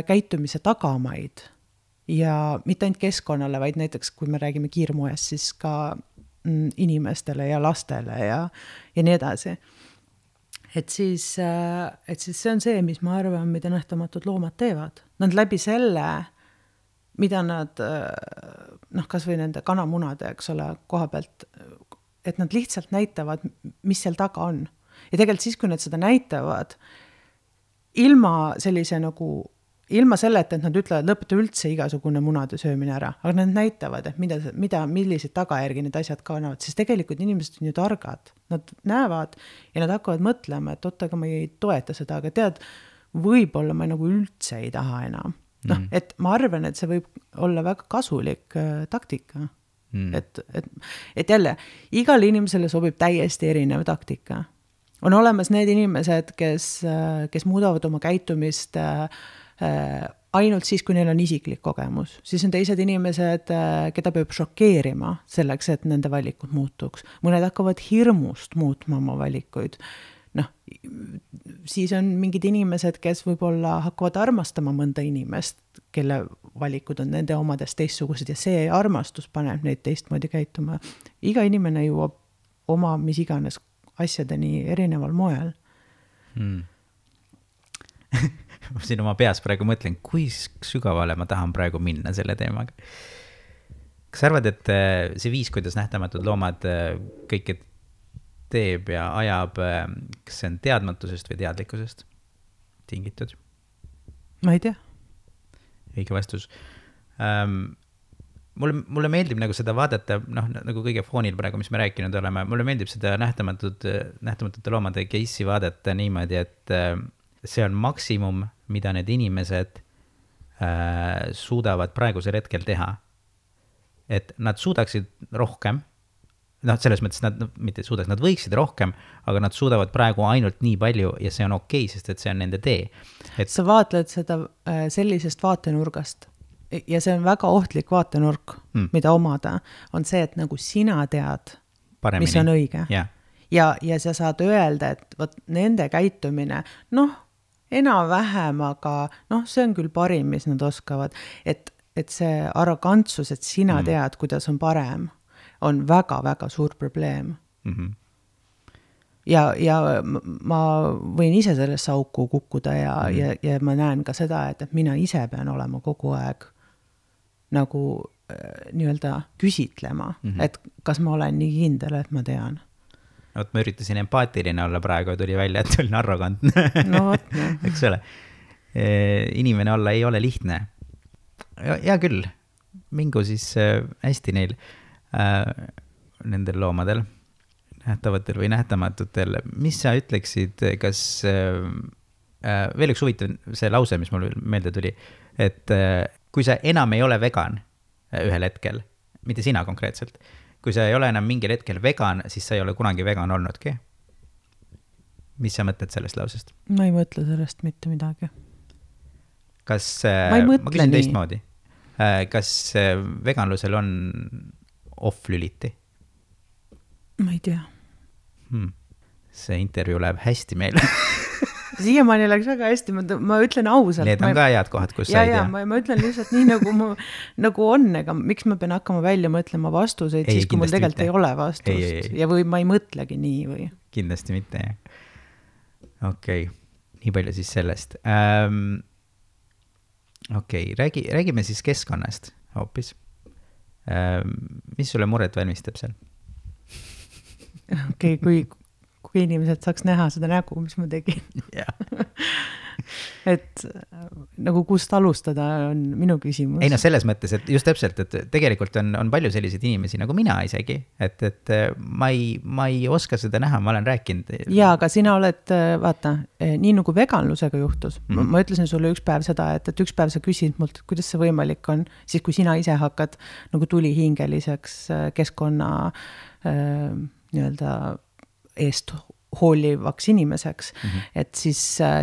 käitumise tagamaid ja mitte ainult keskkonnale, vaid näiteks kui me räägime kiirmoest, siis ka inimestele ja lastele ja, ja nii edasi. Et siis, et siis see on see, mis ma arvan, mida nähtamatud loomad teevad. Nad läbi selle, mida nad, noh, kas või nende kanamunade, eks ole, koha pealt, et nad lihtsalt näitavad, mis seal taga on. Ja tegelikult siis, kui nad seda näitavad, ilma sellise nagu, ilma selleta, et nad ütlevad, lõpeta üldse igasugune munade söömine ära, aga nad näitavad, et mida, mida, milliseid tagajärgi need asjad kannavad, siis tegelikult inimesed on ju targad. Nad näevad ja nad hakkavad mõtlema, et oota, aga ma ei toeta seda, aga tead, võib-olla ma nagu üldse ei taha enam. Mm. Noh, et ma arvan, et see võib olla väga kasulik äh, taktika. Mm. Et, et, et jälle, igal inimesele sobib täiesti erinev taktika. On olemas need inimesed, kes, kes muudavad oma käitumist äh, ainult siis, kui neil on isiklik kogemus. Siis on teised inimesed, keda peab šokeerima selleks, et nende valikud muutuks. Mõned hakkavad hirmust muutma oma valikuid. Noh, siis on mingid inimesed, kes võib-olla hakkavad armastama mõnda inimest, kelle valikud on nende omadest teistsugused ja see armastus paneb neid teistmoodi käituma. Iga inimene jõuab oma mis iganes asjadeni erineval moel. Hmm. Ma siin oma peas praegu mõtlen, kui sügavale ma tahan praegu minna selle teemaga. Kas arvad, et see viis, kuidas nähtamatud loomad kõike teeb ja ajab, kas see on teadmatusest või teadlikkusest tingitud? Ma ei tea. Õige vastus. Um, mulle, mulle meeldib nagu seda vaadata, noh, nagu kõige foonil praegu, mis me rääkinud oleme, mulle meeldib seda nähtamatud, nähtamatute loomade case'i vaadata niimoodi, et see on maksimum, mida need inimesed äh, suudavad praegusel hetkel teha. Et nad suudaksid rohkem, noh, selles mõttes nad mitte suudaks, nad võiksid rohkem, aga nad suudavad praegu ainult nii palju ja see on okei, sest et see on nende tee. Et... Sa vaatled seda äh, sellisest vaatenurgast ja see on väga ohtlik vaatenurk, hmm. mida omada, on see, et nagu sina tead, paremini. Mis on õige. Yeah. Ja, ja sa saad öelda, et võt, nende käitumine, noh, enam-vähem, aga noh, see on küll parim, mis nad oskavad. Et, et see arrogantsus, et sina mm. tead, kuidas on parem, on väga-väga suur probleem. Mm-hmm. Ja, ja ma võin ise sellesse auku kukkuda ja, mm. ja, ja ma näen ka seda, et, et mina ise pean olema kogu aeg nagu nii-öelda küsitlema, mm-hmm. et kas ma olen nii kindel, et ma tean. Oot, ma üritasin empaatiline olla praegu ja tuli välja, et olin arrogantne. No vot, no. Eks ole. Inimene olla ei ole lihtne. Hea küll, mingu siis hästi neil äh, nendel loomadel, nähtavatel või nähtamatutel. Mis sa ütleksid, kas äh, veel üks huvitav see lause, mis mul meelde tuli, et äh, kui sa enam ei ole vegan ühel hetkel, mitte sina konkreetselt, kui sa ei ole enam mingil hetkel vegan, siis sa ei ole kunagi vegan olnudki. Mis sa mõtled sellest lausest? Ma ei mõtle sellest mitte midagi. Kas, ma, ma küsin teistmoodi, kas veganlusel on off-lüliti? Ma ei tea. Hmm. See intervjuu läheb hästi meile. Siiamaani läks väga hästi, ma, ma ütlen ausalt. Need on ma, ka head kohad, kus ja, sa ei tea. Ja, ma, ma ütlen lihtsalt nii, nagu, ma, nagu on, ega miks ma pean hakkama välja mõtlema vastuseid, ei, siis kui mul tegelikult mitte. Ei ole vastust. Ei, ei, ei. Ja või ma ei mõtlegi nii või? Kindlasti mitte, jah. Okei, okay. Nii palju siis sellest. Ähm, okei, okay. Räägi, räägime siis keskkonnast hoopis. Ähm, mis sulle muret valmistab seal? Okei, okay, kui... kui inimesed saaks näha seda nägu, mis ma tegin. et nagu kust alustada on minu küsimus. Ei no selles mõttes, et just täpselt, et tegelikult on, on palju selliseid inimesi nagu mina isegi, et, et ma ei, ma ei oska seda näha, ma olen rääkinud. Jaa, aga sina oled, vaata, nii nagu veganlusega juhtus. Mm-hmm. Ma ütlesin sulle üks päev seda, et, et üks päev sa küsid mult, kuidas see võimalik on, siis kui sina ise hakkad nagu tulihingeliseks keskkonna äh, nii-öelda eest hoolivaks inimeseks, mm-hmm. et siis,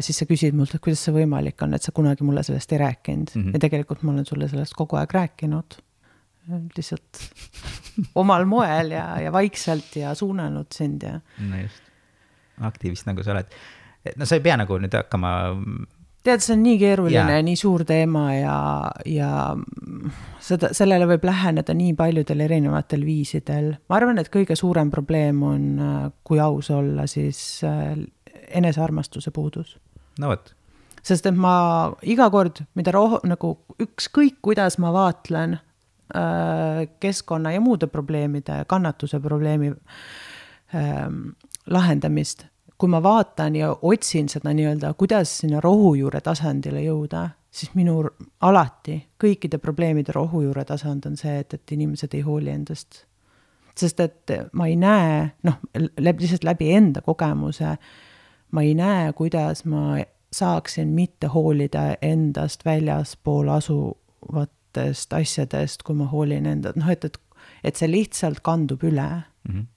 siis sa küsid mult, et kuidas see võimalik on, et sa kunagi mulle sellest ei rääkinud. Mm-hmm. Ja tegelikult ma olen sulle sellest kogu aeg rääkinud. Lihtsalt omal moel ja, ja vaikselt ja suunanud sind. Ja... No just. Aktivist nagu sa oled. No sa ei pea nagu nüüd hakkama... Tead, see on nii keeruline, ja. Nii suur teema ja, ja seda, sellele võib läheneda nii paljudel erinevatel viisidel. Ma arvan, et kõige suurem probleem on, kui aus olla, siis enesearmastuse puudus. No võt. Sest et ma iga kord, mida roh, nagu ükskõik, kuidas ma vaatlen äh, keskkonna ja muude probleemide, kannatuse probleemi äh, lahendamist, kui ma vaatan ja otsin seda nii-öelda, kuidas sinna rohujuure tasandile jõuda, siis minu alati kõikide probleemide rohujuure tasand on see, et, et inimesed ei hooli endast. Sest et ma ei näe, noh, läbi, lihtsalt läbi enda kogemuse, ma ei näe, kuidas ma saaksin mitte hoolida endast väljaspool asuvatest asjadest, kui ma hoolin enda, noh, et, et, et see lihtsalt kandub üle. Mhm.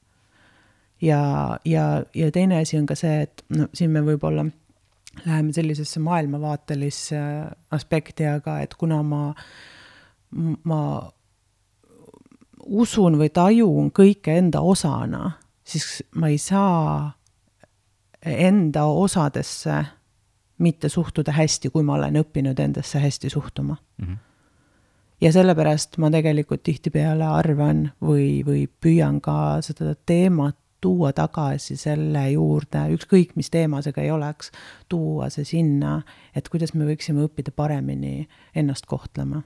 Ja, ja, ja teine asi on ka see, et no, siin me võib-olla läheme sellisesse maailmavaatelisse aspekti, aga et kuna ma, ma usun või tajun kõike enda osana, siis ma ei saa enda osadesse mitte suhtuda hästi, kui ma olen õppinud endasse hästi suhtuma. Mm-hmm. Ja sellepärast ma tegelikult tihtipeale arvan või, või püüan ka seda teemat tuua tagasi selle juurde, ükskõik mis teemasega ei oleks, tuua see sinna, et kuidas me võiksime õppida paremini ennast kohtlema.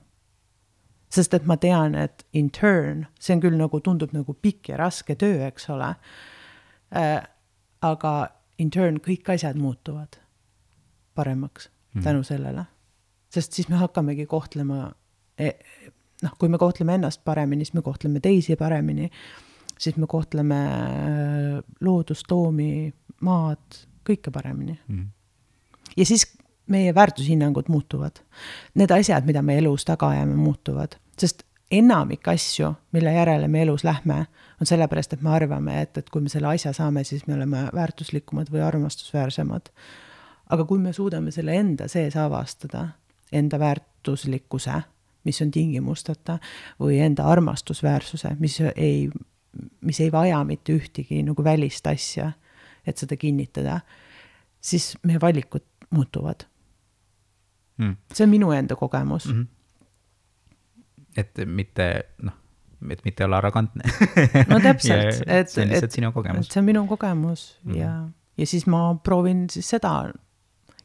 Sest et ma tean, et in turn, see on küll nagu tundub nagu pikk ja raske töö, eks ole, äh, aga in turn kõik asjad muutuvad paremaks mm. tänu sellele. Sest siis me hakkamegi kohtlema, noh, kui me kohtleme ennast paremini, siis me kohtleme teisi paremini, siis me kohtleme loodust, loomi, maad, kõike paremini. Mm. Ja siis meie väärtushinnangud muutuvad. Need asjad, mida me elus taga ajame, muutuvad. Sest enamik asju, mille järele me elus lähme, on sellepärast, et me arvame, et, et kui me selle asja saame, siis me oleme väärtuslikumad või armastusväärsemad. Aga kui me suudame selle enda sees avastada, enda väärtuslikkuse, mis on tingimustata, või enda armastusväärsuse, mis ei mis ei vaja mitte ühtegi nagu välist asja, et seda kinnitada, siis meie valikud muutuvad. Mm. See on minu enda kogemus. Mm-hmm. Et mitte, noh, et mitte olla arrogantne. No täpselt. Et, see on lihtsalt et, sinu kogemus. See on minu kogemus mm-hmm. ja, ja siis ma proovin siis seda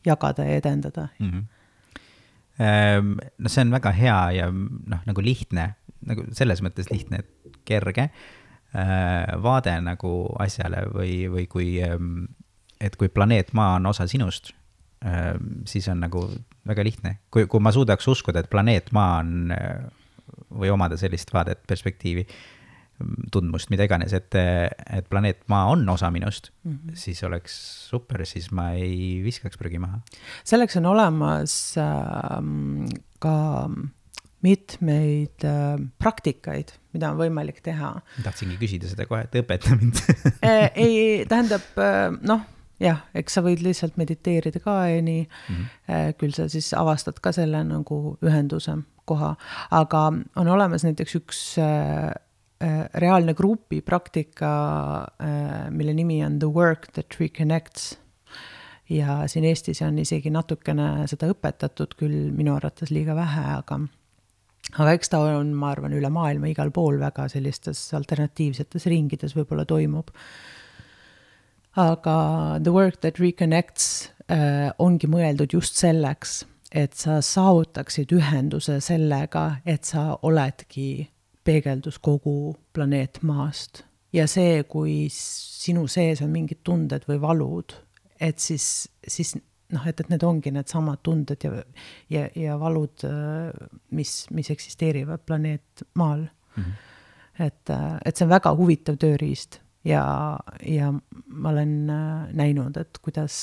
jagada ja edendada. Mm-hmm. No see on väga hea ja noh, nagu lihtne nagu selles mõttes lihtne, et kerge vaade nagu asjale või, või kui, et kui planeet Maa on osa sinust, siis on nagu väga lihtne. Kui, kui ma suudaks uskuda, et planeet Maa on või omada sellist vaadet, perspektiivi, tundmust, mida iganes, et, et planeet Maa on osa minust, mm-hmm. siis oleks super, siis ma ei viskaks prügi maha. Selleks on olemas äh, ka mitmeid äh, praktikaid, mida on võimalik teha. Tahtsingi küsida seda kohe, et õpeta mind. ei, tähendab, noh, jah, eks sa võid lihtsalt mediteerida ka ja nii, mm-hmm. küll sa siis avastad ka selle nagu ühenduse koha, aga on olemas näiteks üks äh, reaalne grupi praktika, äh, mille nimi on The Work That Reconnects. Ja siin Eestis on isegi natukene seda õpetatud, küll minu arvates liiga vähe, aga Aga eks ta on, ma arvan, üle maailma igal pool väga sellistes alternatiivsetes ringides võib-olla toimub. Aga The Work That Reconnects äh, ongi mõeldud just selleks, et sa saavutaksid ühenduse sellega, et sa oledki peegeldus kogu planeet Maast. Ja see, kui sinu sees on mingid tunded või valud, et siis, siis noh, et, et need ongi need samad tunded ja, ja, ja valud, mis, mis eksisteerivad planeet Maal. Mm-hmm. Et, et see on väga huvitav tööriist ja, ja ma olen näinud, et kuidas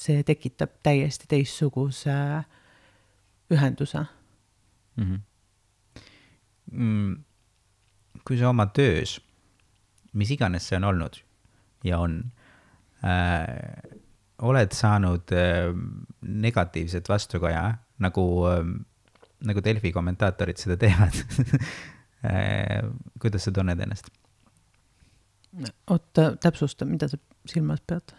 see tekitab täiesti teistsuguse ühenduse. Mm-hmm. Mm, kui sa oma töös, mis iganes see on olnud ja on, äh, oled saanud äh, negatiivset vastukoja, nagu, äh, nagu Delfi kommentaatorid seda teevad. äh, kuidas sa tunned ennast? Oot, täpsusta, mida sa silmas pead?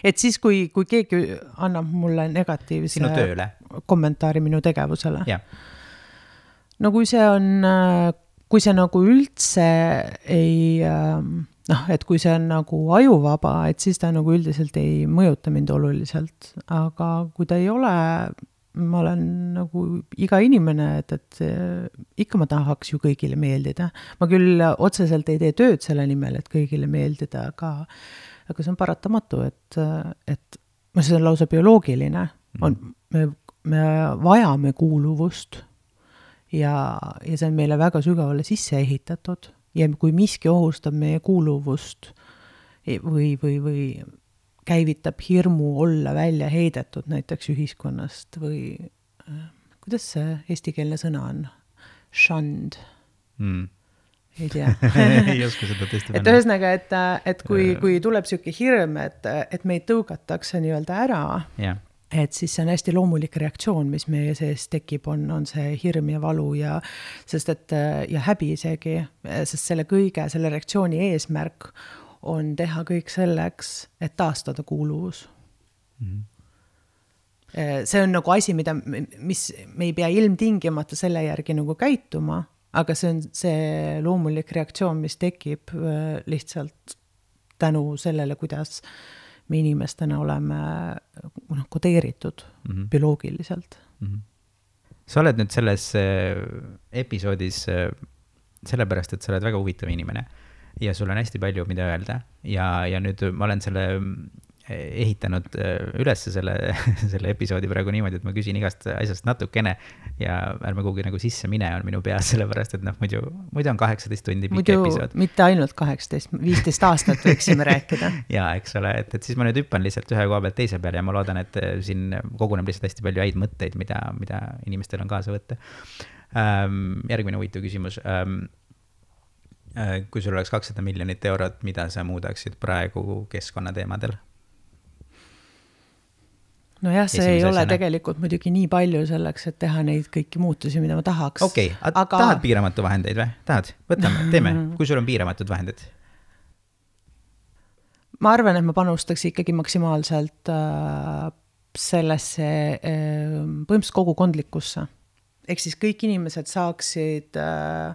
Et siis, kui, kui keegi annab mulle negatiivse kommentaari minu tegevusele. Ja. No kui see on, kui see nagu üldse ei... noh, et kui see on nagu ajuvaba, et siis ta nagu üldiselt ei mõjuta mind oluliselt, aga kui ta ei ole, ma olen nagu iga inimene, et, et ikka ma tahaks ju kõigile meeldida. Ma küll otseselt ei tee tööd selle nimel, et kõigile meeldida, aga, aga see on paratamatu, et, et see on lausa bioloogiline. On, me, me vajame kuuluvust ja, ja see on meile väga sügavale sisse ehitatud. Ja kui miski ohustab meie kuuluvust või, või, või käivitab hirmu olla välja heidetud näiteks ühiskonnast või kuidas see eestikeelne sõna on? Shunned. Mm. Ei tea. ei oska seda tõesti et ühesõnaga, et, et kui, kui tuleb selline hirm, et, et meid tõugatakse nii-öelda ära, yeah. et siis see on hästi loomulik reaktsioon, mis meie sees tekib, on, on see hirm ja valu ja, sest et, ja häbi isegi, sest selle kõige, selle reaktsiooni eesmärk on teha kõik selleks, et taastada kuuluvus. Mm-hmm. See on nagu asi, mida, mis me ei pea ilmtingimata selle järgi nagu käituma, aga see on see loomulik reaktsioon, mis tekib lihtsalt tänu sellele, kuidas me inimestena oleme noh, kodeeritud mm-hmm. bioloogiliselt. Mm-hmm. Sa oled nüüd selles episoodis sellepärast, et sa oled väga huvitav inimene ja sul on hästi palju, mida öelda ja, ja nüüd ma olen selle ehitanud üles selle, selle episoodi praegu niimoodi, et ma küsin igast asjast natukene ja ärme kuhugi nagu sisse mine on minu peas, sellepärast, et noh, muidu, muidu on kaheksateist tundi pikk episood. Mitte ainult kaheksateist, viisteist aastat võiksime rääkida. ja, eks ole, et, et siis ma nüüd hüppan lihtsalt ühe koha pealt teise peale ja ma loodan, et siin koguneb lihtsalt hästi palju häid mõtteid, mida, mida inimestel on kaasa võtta. Ähm, järgmine huvitav küsimus. Ähm, kui sul oleks kakssada miljonit eurot, mida sa muudaksid praegu keskkonnateemadel? No jah, see Esimese ei ole asjana. Tegelikult muidugi nii palju selleks, et teha neid kõiki muutusi, mida ma tahaks. Okei, okay. aga... tahad piiramatu vahendeid või? Tahad? Võtame, teeme. Kui sul on piiramatud vahendid? Ma arvan, et ma panustaks ikkagi maksimaalselt äh, sellesse äh, põhimõtteliselt kogukondlikkusse. Ehk siis kõik inimesed saaksid äh,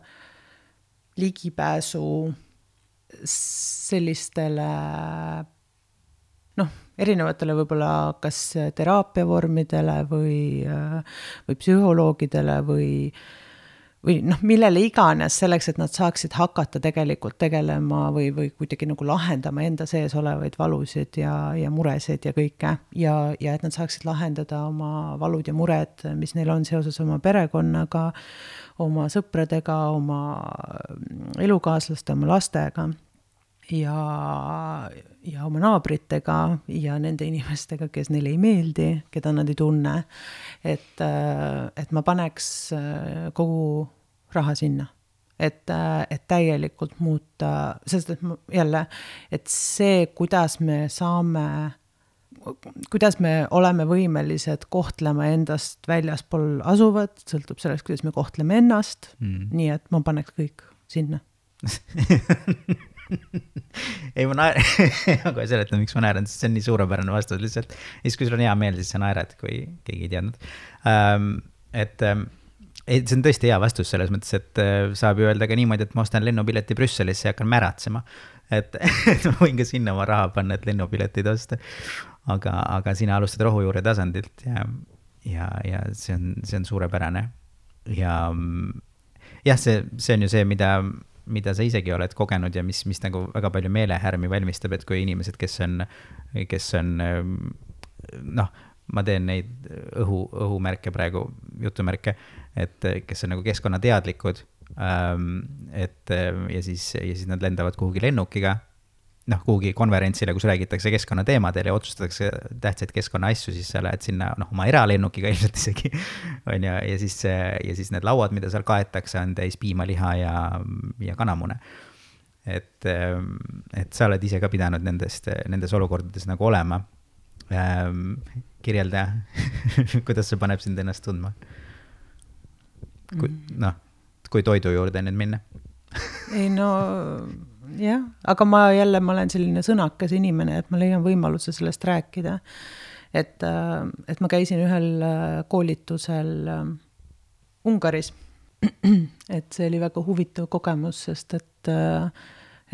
ligipääsu sellistele noh, erinevatele võib-olla kas teraapiavormidele või, või psühholoogidele või, või noh, millele iganes selleks, et nad saaksid hakata tegelikult tegelema või, või kuidagi nagu lahendama enda sees olevaid valusid ja, ja muresid ja kõike ja, ja et nad saaksid lahendada oma valud ja mured, mis neil on seoses oma perekonnaga, oma sõpradega, oma elukaaslaste, oma lastega ja, ja oma naabritega ja nende inimestega, kes neile ei meeldi, keda nad ei tunne. Et, et ma paneks kogu raha sinna, et, et täielikult muuta, sest et jälle, et see, kuidas me saame, kuidas me oleme võimelised kohtlema endast väljaspool asuvat, sõltub sellest, kuidas me kohtleme ennast, mm. nii et ma paneks kõik sinna. ei, ma naeran, aga seletan, miks ma naeran, sest see on nii suurepärane vastus lihtsalt. Ja siis, kui sul on hea meel, siis sa naerad, kui keegi ei teadnud. Um, et um, ei, see on tõesti hea vastus selles mõttes, et saab ju öelda ka niimoodi, et ma ostan lennupileti Brüsselisse ja hakkan märatsema. Et, et ma võin ka sinna oma raha panna, et lennupiletid osta. Aga, aga sina alustad rohujuure tasandilt ja, ja, ja see on, see on suurepärane. Ja jah, see, see on ju see, mida, mida sa isegi oled kogenud ja mis, mis nagu väga palju meelehärmi valmistab, et kui inimesed, kes on, kes on noh, ma teen neid õhu, õhumärke praegu, jutumärke, et kes on nagu keskkonnateadlikud, et ja siis, ja siis nad lendavad kuhugi lennukiga, noh, kuhugi konverentsile, kus räägitakse keskkonnateemadel ja otsustatakse tähtsaid keskkonna asju, siis sa lähed sinna, noh, oma eralennukiga ilmselt isegi, on ja, ja siis, ja siis need lauad, mida seal kaetakse, on täis piimaliha ja, ja kanamune. Et, et sa oled ise ka pidanud nendest, nendes olukordades nagu olema. Kirjelda, kuidas see paneb sind ennast tundma? Kui, noh, kui toidu juurde nüüd minna. ei no, jah, aga ma jälle, ma olen selline sõnakas inimene, et ma leian võimaluse sellest rääkida. Et, et ma käisin ühel koolitusel Ungaris. Et see oli väga huvitav kogemus, sest et,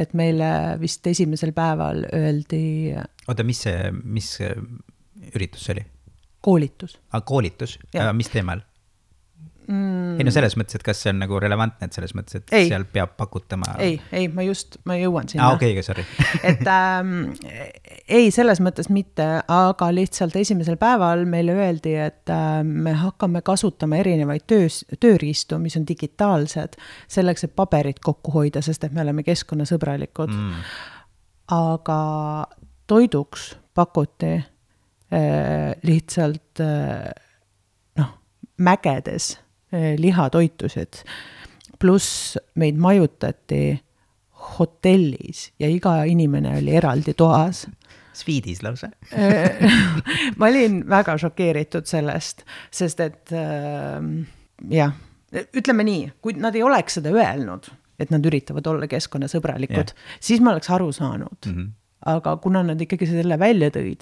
et meile vist esimesel päeval öeldi... Oota, mis see, mis üritus see oli? Koolitus. Ah, koolitus? Ja. Mis teemal? Mm. Ei no selles mõttes, et kas see on nagu relevantne, et selles mõttes, et ei. Seal peab pakutama... Ei, ei, ma just, ma jõuan sinna. Ah, okei, okay, sorry. et ähm, ei, selles mõttes mitte, aga lihtsalt esimesel päeval meile öeldi, et äh, me hakkame kasutama erinevaid töös, tööriistu, mis on digitaalsed, selleks, et paberit kokku hoida, sest et me oleme keskkonnasõbralikud. Mm. Aga toiduks pakuti äh, lihtsalt äh, noh, mägedes lihatoitusid, pluss meid majutati hotellis ja iga inimene oli eraldi toas. Sviidis lausa. Ma olin väga šokeeritud sellest, sest et äh, jah, ütleme nii, kui nad ei oleks seda öelnud, et nad üritavad olla keskkonnasõbralikud, yeah. siis ma oleks aru saanud. Mm-hmm. Aga kuna nad ikkagi selle välja tõid,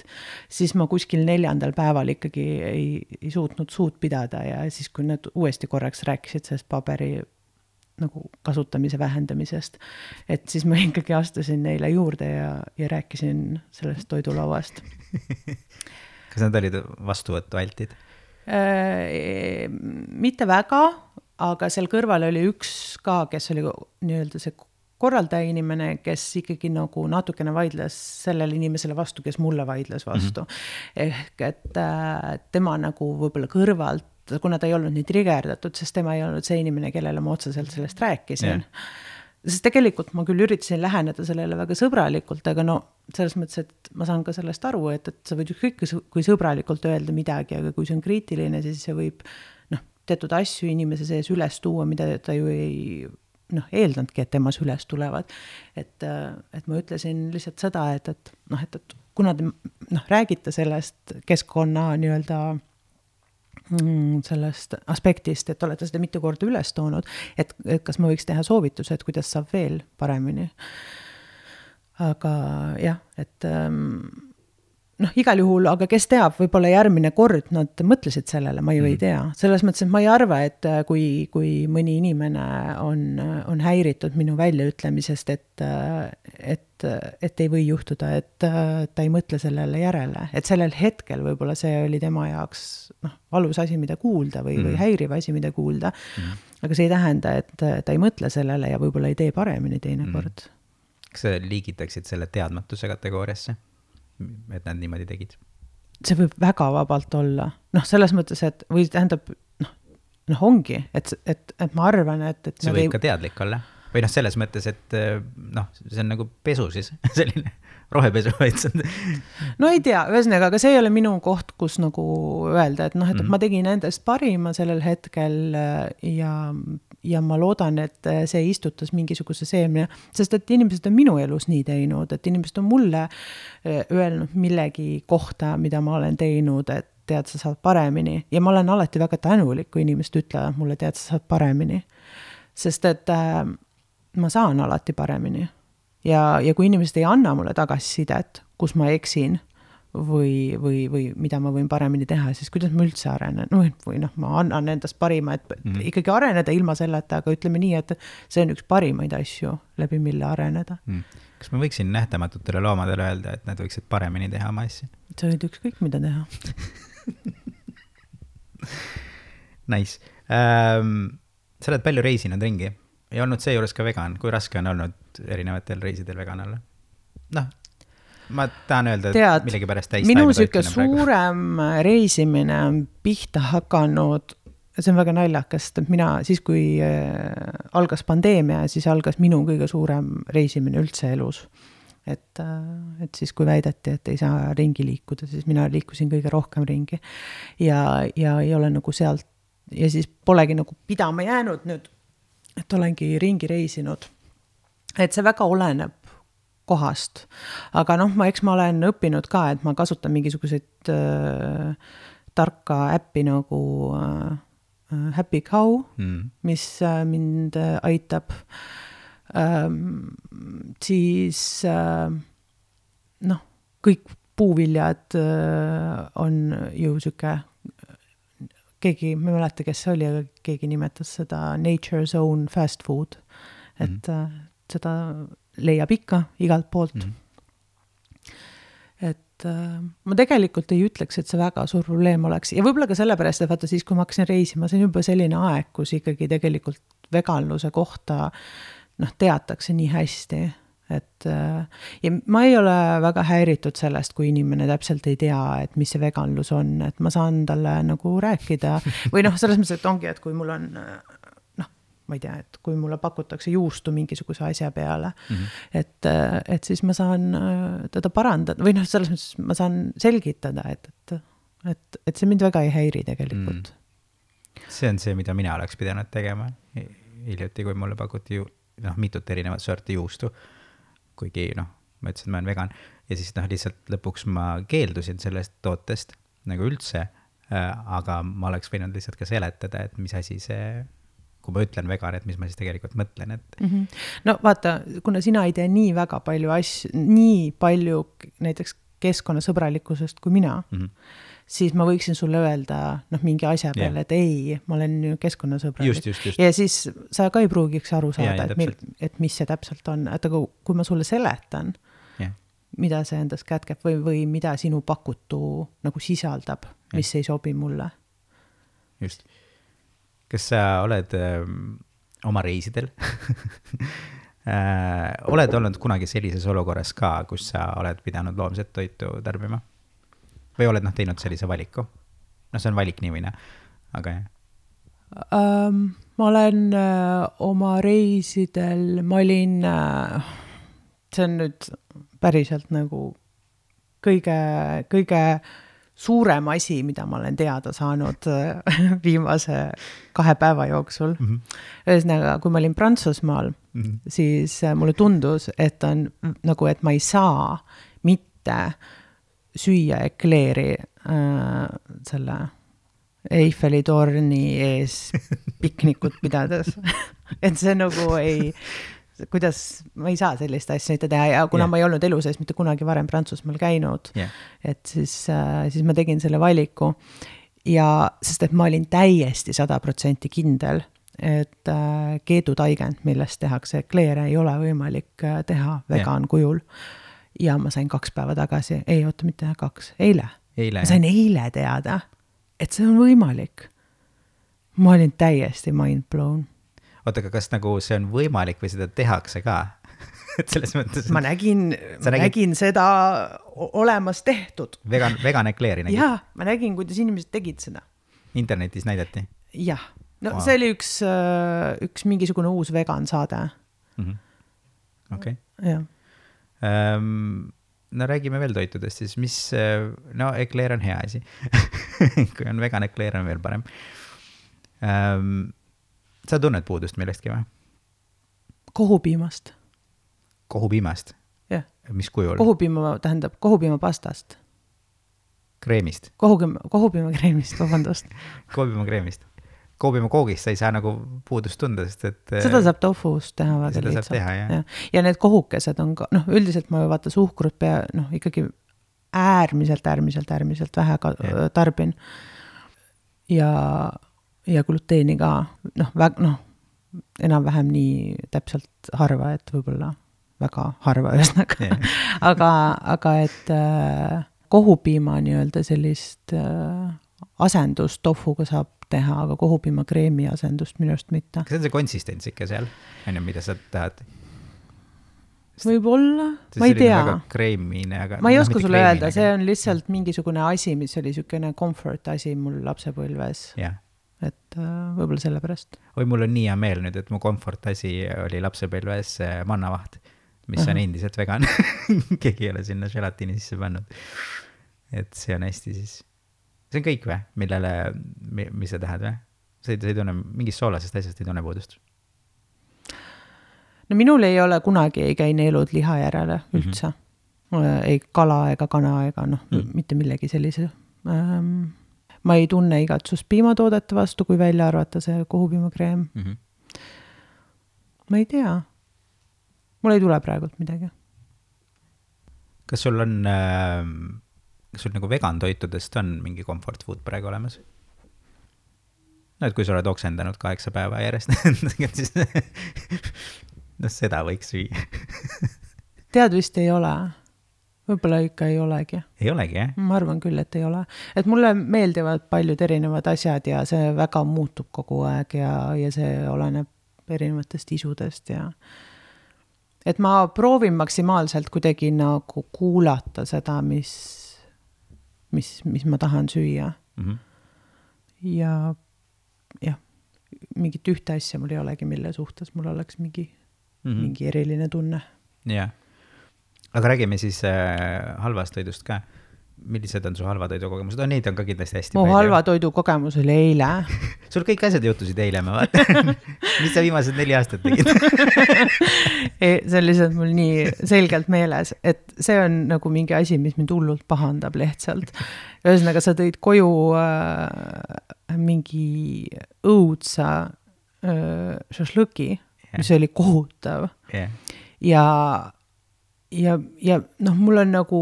siis ma kuskil neljandal päeval ikkagi ei, ei suutnud suud pidada ja siis, kui nad uuesti korraks rääkisid sellest paberi nagu kasutamise vähendamisest, et siis ma ikkagi astusin neile juurde ja, ja rääkisin sellest toidulauast. Kas nad olid vastuvõttu altid? Äh, mitte väga, aga seal kõrval oli üks ka, kes oli nii-öelda see korraldaja inimene, kes ikkagi nagu natukene vaidles sellele inimesele vastu, kes mulle vaidles vastu. Mm-hmm. Ehk et äh, tema nagu võib-olla kõrvalt, kuna ta ei olnud nii trigerdatud, sest tema ei olnud see inimene, kellele ma otseselt sellest rääkisin. Yeah. Sest tegelikult ma küll üritasin läheneda sellele väga sõbralikult, aga no selles mõttes, et ma saan ka sellest aru, et, et sa võid kõik kui sõbralikult öelda midagi, aga kui see on kriitiline, siis see võib noh, teatud asju inimese sees üles tuua, mida ta ju ei noh, eeldanudki, et temas üles tulevad. Et, et ma ütlesin lihtsalt seda, et, et, noh, et, et kuna te noh, räägite sellest keskkonna nii-öelda mm, sellest aspektist, et olete seda mitu korda üles toonud, et, et kas ma võiks teha soovituse, et kuidas saab veel paremini. Aga jah, et noh, igal juhul, aga kes teab, võib-olla järgmine kord nad mõtlesid sellele, ma ju mm. ei tea. Selles mõttes, et ma ei arva, et kui, kui mõni inimene on, on häiritud minu väljaütlemisest, et, et, et ei või juhtuda, et ta ei mõtle sellele järele. Et sellel hetkel võib-olla see oli tema jaoks noh, valus asi, mida kuulda või, mm. või häiriv asi, mida kuulda. Mm. Aga see ei tähenda, et ta ei mõtle sellele ja võib-olla ei tee paremini teine mm. kord. Kas sa liigitaksid selle teadmatuse kategooriasse? Et nad niimoodi tegid? See võib väga vabalt olla. Noh, selles mõttes, et või tähendab, noh, noh ongi, et, et, et ma arvan, et... et see võib ei... ka teadlik olla. Või noh, selles mõttes, et noh, see on nagu pesu siis, selline rohepesu. No ei tea, ühesõnaga, aga see ei ole minu koht, kus nagu öelda, et noh, et, et ma tegin endast parima sellel hetkel ja, ja ma loodan, et see istutas mingisuguse seemne, sest et inimesed on minu elus nii teinud, et inimesed on mulle öelnud millegi kohta, mida ma olen teinud, et tead, sa saad paremini. Ja ma olen alati väga tänulik, kui inimesed ütlevad mulle, tead, sa saad paremini. Sest et äh, ma saan alati paremini. Ja, ja kui inimesed ei anna mulle tagasisidet, kus ma eksin või, või, või mida ma võin paremini teha, siis kuidas ma üldse arenen? No, või noh, ma annan endast parima, et mm. ikkagi areneda ilma selleta, aga ütleme nii, et see on üks parimaid asju, läbi mille areneda. Mm. Kas ma võiksin nähtamatutele loomadele öelda, et nad võiksid paremini teha oma asja? See võid ükskõik mida teha. Nice. Ähm, sa oled palju reisinud ringi ja olnud see juures ka vegan. Kui raske on olnud erinevatel reisidel vegan olla? Noh, ma tahan öelda, et Tead, millegi pärast täis minu süke suurem praegu. Reisimine on pihta hakanud, see on väga naljakast, et mina siis, kui äh, algas pandeemia, siis algas minu kõige suurem reisimine üldse elus. Et, et siis kui väideti, et ei saa ringi liikuda, siis mina liikusin kõige rohkem ringi ja, ja ei ole nagu sealt ja siis polegi nagu pidama jäänud nüüd, et olengi ringi reisinud. Et see väga oleneb kohast. Aga noh, ma, eks ma olen õppinud ka, et ma kasutan mingisuguseid äh, tarka äppi nagu äh, Happy Cow, mm. mis äh, mind äh, aitab Ähm, siis äh, noh, kõik puuviljad äh, on ju süke, keegi, ma ei mäleta, kes see oli, aga keegi nimetas seda Nature's Own fast food, et mm. äh, seda leiab ikka igalt poolt. Mm. Et äh, ma tegelikult ei ütleks, et see väga suur probleem oleks ja võib-olla ka sellepärast, et vaata siis, kui ma hakkasin reisima, see on juba selline aeg, kus ikkagi tegelikult veganluse kohta noh, teatakse nii hästi, et ja ma ei ole väga häiritud sellest, kui inimene täpselt ei tea, et mis see veganlus on, et ma saan talle nagu rääkida või noh, selles mõttes, et ongi, et kui mul on noh, ma ei tea, et kui mulle pakutakse juustu mingisuguse asja peale, mm-hmm. et, et siis ma saan teda parandada või noh, selles mõttes ma saan selgitada, et, et, et, et see mind väga ei häiri tegelikult. Mm. See on see, mida mina oleks pidanud tegema hiljuti, kui mulle pakuti ju noh, mitut erinevat sorti juustu, kuigi noh, ma ütlesin, et ma olen vegan ja siis noh, lihtsalt lõpuks ma keeldusin sellest tootest nagu üldse, aga ma oleks võinud lihtsalt ka seletada, et mis asi see, kui ma ütlen vegan, et mis ma siis tegelikult mõtlen, et mm-hmm. no vaata, kuna sina ei tee nii väga palju asju, nii palju näiteks keskkonnasõbralikkusest kui mina, mm-hmm. siis ma võiksin sulle öelda noh, mingi asja peale, yeah. et ei, ma olen keskkonnasõbralik. Just, just, just. Ja siis sa ka ei pruugiks aru saada, yeah, et, mil, et mis see täpselt on. Et aga kui ma sulle seletan, yeah. mida see endas kätkeb või, või mida sinu pakutu nagu sisaldab, yeah. mis ei sobi mulle. Just. Kas sa oled öö, oma reisidel? äh, oled olnud kunagi sellises olukorras ka, kus sa oled pidanud loomset toitu tarbima? Või oled noh, teinud sellise valiku? No see on valik nii või ne, aga jah. Um, ma olen uh, oma reisidel, ma olin, uh, see on nüüd päriselt nagu kõige, kõige suurem asi, mida ma olen teada saanud uh, viimase kahe päeva jooksul. Mm-hmm. Ühesõnaga, kui ma olin Prantsusmaal, mm-hmm. siis uh, mulle tundus, et on nagu, et ma ei saa mitte süüa ekleeri äh, selle Eiffeli torni ees piknikut pidades. Et see nagu ei, kuidas ma ei saa sellist asja mitte teha ja kuna yeah. ma ei olnud elu sees mitte kunagi varem Prantsusmaal käinud, yeah. et siis, siis ma tegin selle valiku ja sest et ma olin täiesti sada protsenti kindel, et keedutaigend, millest tehakse ekleere, ei ole võimalik teha vegan yeah. kujul ja ma sain kaks päeva tagasi, ei oota mitte kaks, eile, eile ma sain jah. eile teada, et see on võimalik. Ma olin täiesti mind blown. Oota, aga kas nagu see on võimalik või seda tehakse ka? Et selles mõttes... Ma nägin, ma nägin... nägin seda olemas tehtud. Vegan, vegan ekleeri nägid? Jaa, ma nägin, kuidas inimesed tegid seda. Internetis näidati? Jah. No wow. See oli üks, üks mingisugune uus vegan saade. Mm-hmm. Okei. Okay. Jah. Um, no räägime veel toitudest, siis mis, no ekleer on hea asi. Kui on vegan ekleer on veel parem. Um, sa tunned puudust millestki või? Kohupiimast. Kohupiimast? Jah. Mis kujul? Kohupiima tähendab kohupiima pastast. Kreemist? Kohupiima, kohupiima kreemist, vabandust. Kohupiima kreemist. Kohupiima koogist sa ei saa nagu puudust tunda, sest et... Seda saab tofust teha väga seda lihtsalt. Saab teha, jah. Ja. ja need kohukesed on ka, noh, üldiselt ma ju vaata suhkrut pea, noh, ikkagi äärmiselt, äärmiselt, äärmiselt vähe ka, tarbin. Ja... ja gluteeni ka, noh, väg, noh, enam-vähem nii täpselt harva, et võib-olla väga harva ühesnaga. Yeah. aga, aga et äh, kohupiima nii-öelda sellist äh, asendust tofuga saab teha, aga kohupiima kreemi asendust minust mitte. Kas on see konsistents ikka seal, enne mida sa tahad? Võib-olla, ma ei tea. Kreemine, aga... Ma ei oska sulle öelda, see on lihtsalt mingisugune asi, mis oli sükene comfort asi mul lapsepõlves. Jah. Yeah. Et äh, võib-olla selle pärast. Oi, mul on nii hea meel nüüd, et mu comfort asi oli lapsepõlves mannavaht, mis uh-huh. on endiselt vegan. Keegi ei ole sinna želatiini sisse pannud. Et see on hästi siis. See on kõik või? Millele, mis sa tahad või? Sa ei, sa ei tunne, mingist soolasest asjast ei tunne puudust? No minul ei ole kunagi ei käi neelud liha järele üldse. Mm-hmm. Ei kala ega kana ega noh, mm. mitte millegi sellise. Ähm, ma ei tunne igatsust piimatoodete vastu, kui välja arvata see kohupiimakreem. Mm-hmm. Ma ei tea. Mul ei tule praegult midagi. Kas sul on, äh, kas sul nagu vegan toitudest on mingi comfort food praegu olemas? No, et kui sa oled oksendanud kaheksa päeva järjest, siis no seda võiks süüa. Tead vist ei ole. Võib-olla ikka ei olegi. Ei olegi, jah? Ma arvan küll, et ei ole. Et mulle meeldivad paljud erinevad asjad ja see väga muutub kogu aeg ja, ja see oleneb erinevatest isudest ja et ma proovin maksimaalselt kuidagi nagu kuulata seda, mis, mis, mis ma tahan süüa. Mm-hmm. Ja jah, mingit ühte asja mul ei olegi, mille suhtes mul oleks mingi, mm-hmm. mingi eriline tunne. Jah. Aga räägime siis äh, halvast toidust ka. Millised on su halva toidu kogemused? No, neid on ka kindlasti hästi mu palju. Mu halva toidu kogemus oli eile. Sul kõik asjad juhtusid eile, ma vaatan. Mis sa viimased neli aastat tegid? ei, see on lihtsalt mul nii selgelt meeles, et see on nagu mingi asi, mis mind hullult pahandab lihtsalt. Ühesõnaga, sa tõid koju äh, mingi õudsa äh, šašlõki, yeah. mis oli kohutav. Yeah. Ja Ja, ja noh, mul on nagu,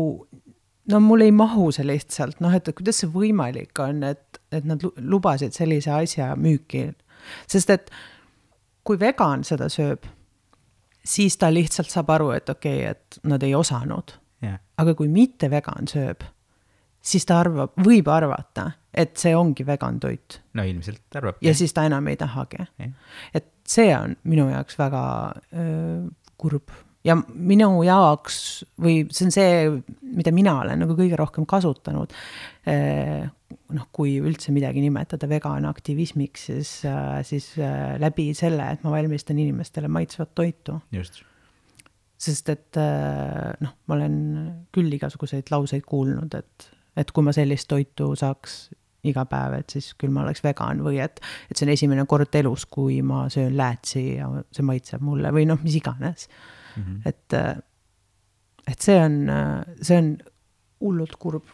no mul ei mahu see lihtsalt, noh, et kuidas see võimalik on, et, et nad lubasid sellise asja müüki. Sest et kui vegan seda sööb, siis ta lihtsalt saab aru, et okei, okay, et nad ei osanud. Yeah. Aga kui mitte vegan sööb, siis ta arvab, võib arvata, et see ongi vegan toit. No ilmselt arvab. Ja siis ta enam ei tahagi. Yeah. Et see on minu jaoks väga öö, kurb. Ja minu jaoks, või see on see, mida mina olen nagu kõige rohkem kasutanud, eh, noh, kui üldse midagi nimetada vegan aktivismiks, siis, siis läbi selle, et ma valmistan inimestele maitsvat toitu. Just. Sest et noh, ma olen küll igasuguseid lauseid kuulnud, et, et kui ma sellist toitu saaks iga päev, et siis küll ma oleks vegan või et, et see on esimene kord elus, kui ma söön läätsi ja see maitseb mulle või noh, mis iganes. Mm-hmm. Et, et see on, see on hullult kurb.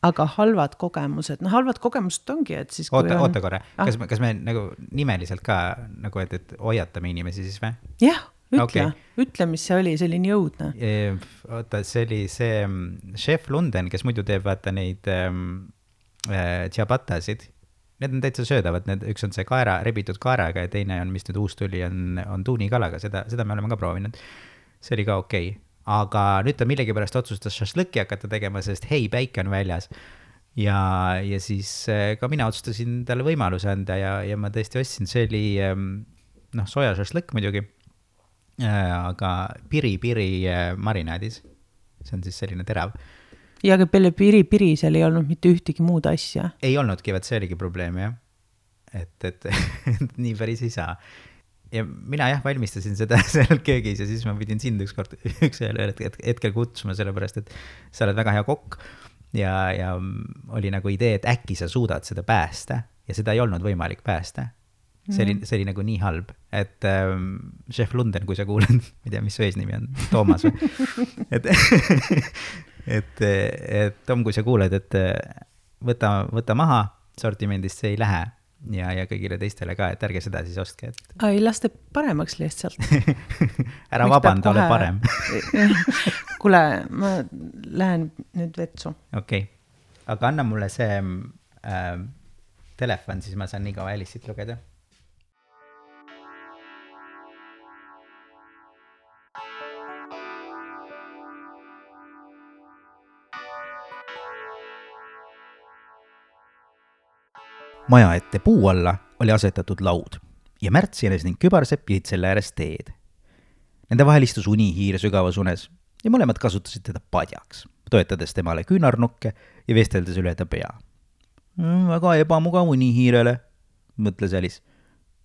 aga halvad kogemused, no halvad kogemused ongi, et siis oota, on... oota korra, kas, ah. kas me nagu nimeliselt ka nagu, et, et hoiatame inimesi siis või? Jah, ütle okay., ütle, mis see oli, see oli nii õudne. Oota, see oli see Chef Lunden, kes muidu teeb vaata neid ähm, äh, ciabattasid. Need on täitsa söödavad, need, üks on see kaera, rebitud kaeraga ja teine on, mis nüüd uus tuli, on, on tuunikalaga, seda, seda me oleme ka proovinud. See oli ka okei. Okay. Aga nüüd ta millegipärast otsustas šašlõkki hakata tegema, sest hei, päike on väljas. Ja, ja siis ka mina otsustasin talle võimaluse anda ja, ja ma tõesti ostsin, see oli noh, soja šašlõkk muidugi, aga piri-piri marinaadis. See on siis selline terav. Ja aga peale piri-piri seal ei olnud mitte ühtegi muud asja. Ei olnudki, vaat see oligi probleem, jah. Et, et, et nii päris ei saa. Ja mina jah valmistasin seda seal köögis ja siis ma pidin sind üks kord üks hetkel kutsuma sellepärast, et sa oled väga hea kokk ja, ja oli nagu idee, et äkki sa suudad seda päästa ja seda ei olnud võimalik päästa. See oli, see oli nagu nii halb, et ähm, Chef Lunden, kui sa kuuled, ma ei tea, mis su eesnimi on, Toomas või? Et, et, et Tom, kui sa kuuled, et võta, võta maha, sortimendist see ei lähe. Ja, ja kõigile teistele ka, et ärge seda siis ostke. Et... Ai, laste paremaks lihtsalt. Ära vabanda, ole parem. Kule, ma lähen nüüd vetsu. Okei, okay. Aga anna mulle see äh, telefon, siis ma saan nii kaua Alice'it lugeda. Maja ette puu alla oli asetatud laud ja Märts Jänes ning Kübarsepp jõid selle ääres teed. Nende vahel istus unihiir sügavas unes ja mõlemad kasutasid teda padjaks, toetades temale küünarnukke ja vesteldes üle ta pea. Väga ebamugav unihiirele, mõtles Alice.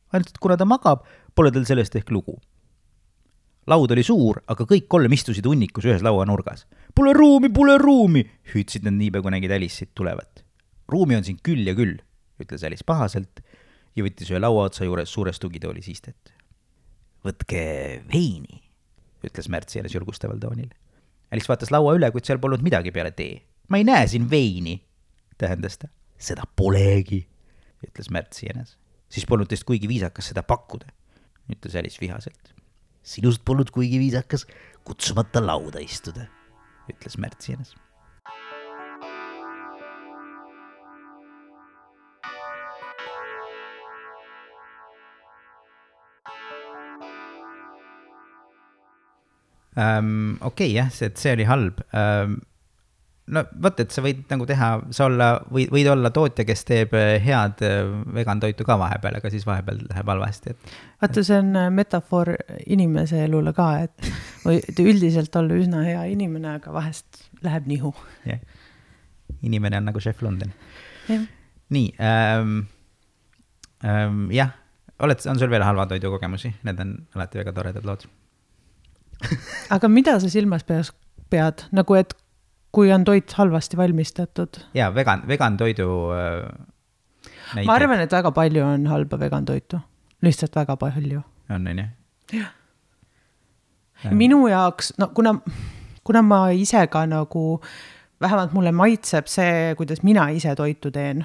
Ainult, et kuna ta magab, pole tal sellest ehk lugu. Laud oli suur, aga kõik kolm istusid unnikus ühes laua nurgas. Pole ruumi, pole ruumi, hüüdsid nad niipea, kui nägid Alice'it tulevat. Ruumi on siin küll ja küll, ütles Alice pahaselt ja võttis ühe laua otsa juures suurest tugitoolis istet. Võtke veini, ütles Märts Jänes julgustaval toonil. Alice vaatas laua üle, kuid seal polnud midagi peale tee. Ma ei näe siin veini, tähendas ta. Seda polegi, ütles Märts Jänes. Siis polnud teist kuigi viisakas seda pakkuda, ütles Alice vihaselt. Sinust polnud kuigi viisakas kutsumata lauda istuda, ütles Märts Jänes. Um, okei, okay, jah, see, see oli halb. Um, no võt, et sa võid nagu teha, sa olla, võid, võid olla tootja, kes teeb head vegan toitu ka vahepeal, aga siis vahepeal läheb halvasti. Et, vaata, see on metafoor inimese elule ka, et võid üldiselt olla üsna hea inimene, aga vahest läheb nihu. Yeah. Inimene on nagu Chef Lunden. Yeah. Nii, um, um, jah, oled, on sul veel halva toidu kogemusi? Need on alati väga toredad lood. Aga mida sa silmas peas pead? Nagu, et kui on toit halvasti valmistatud? Jaa, vegan, vegan toidu äh, näiteid. Ma arvan, et väga palju on halba vegan toitu. Lihtsalt väga palju. On, on, jah? Jah. Minu jaoks, no kuna, kuna ma ise ka nagu, vähemalt mulle maitseb see, kuidas mina ise toitu teen.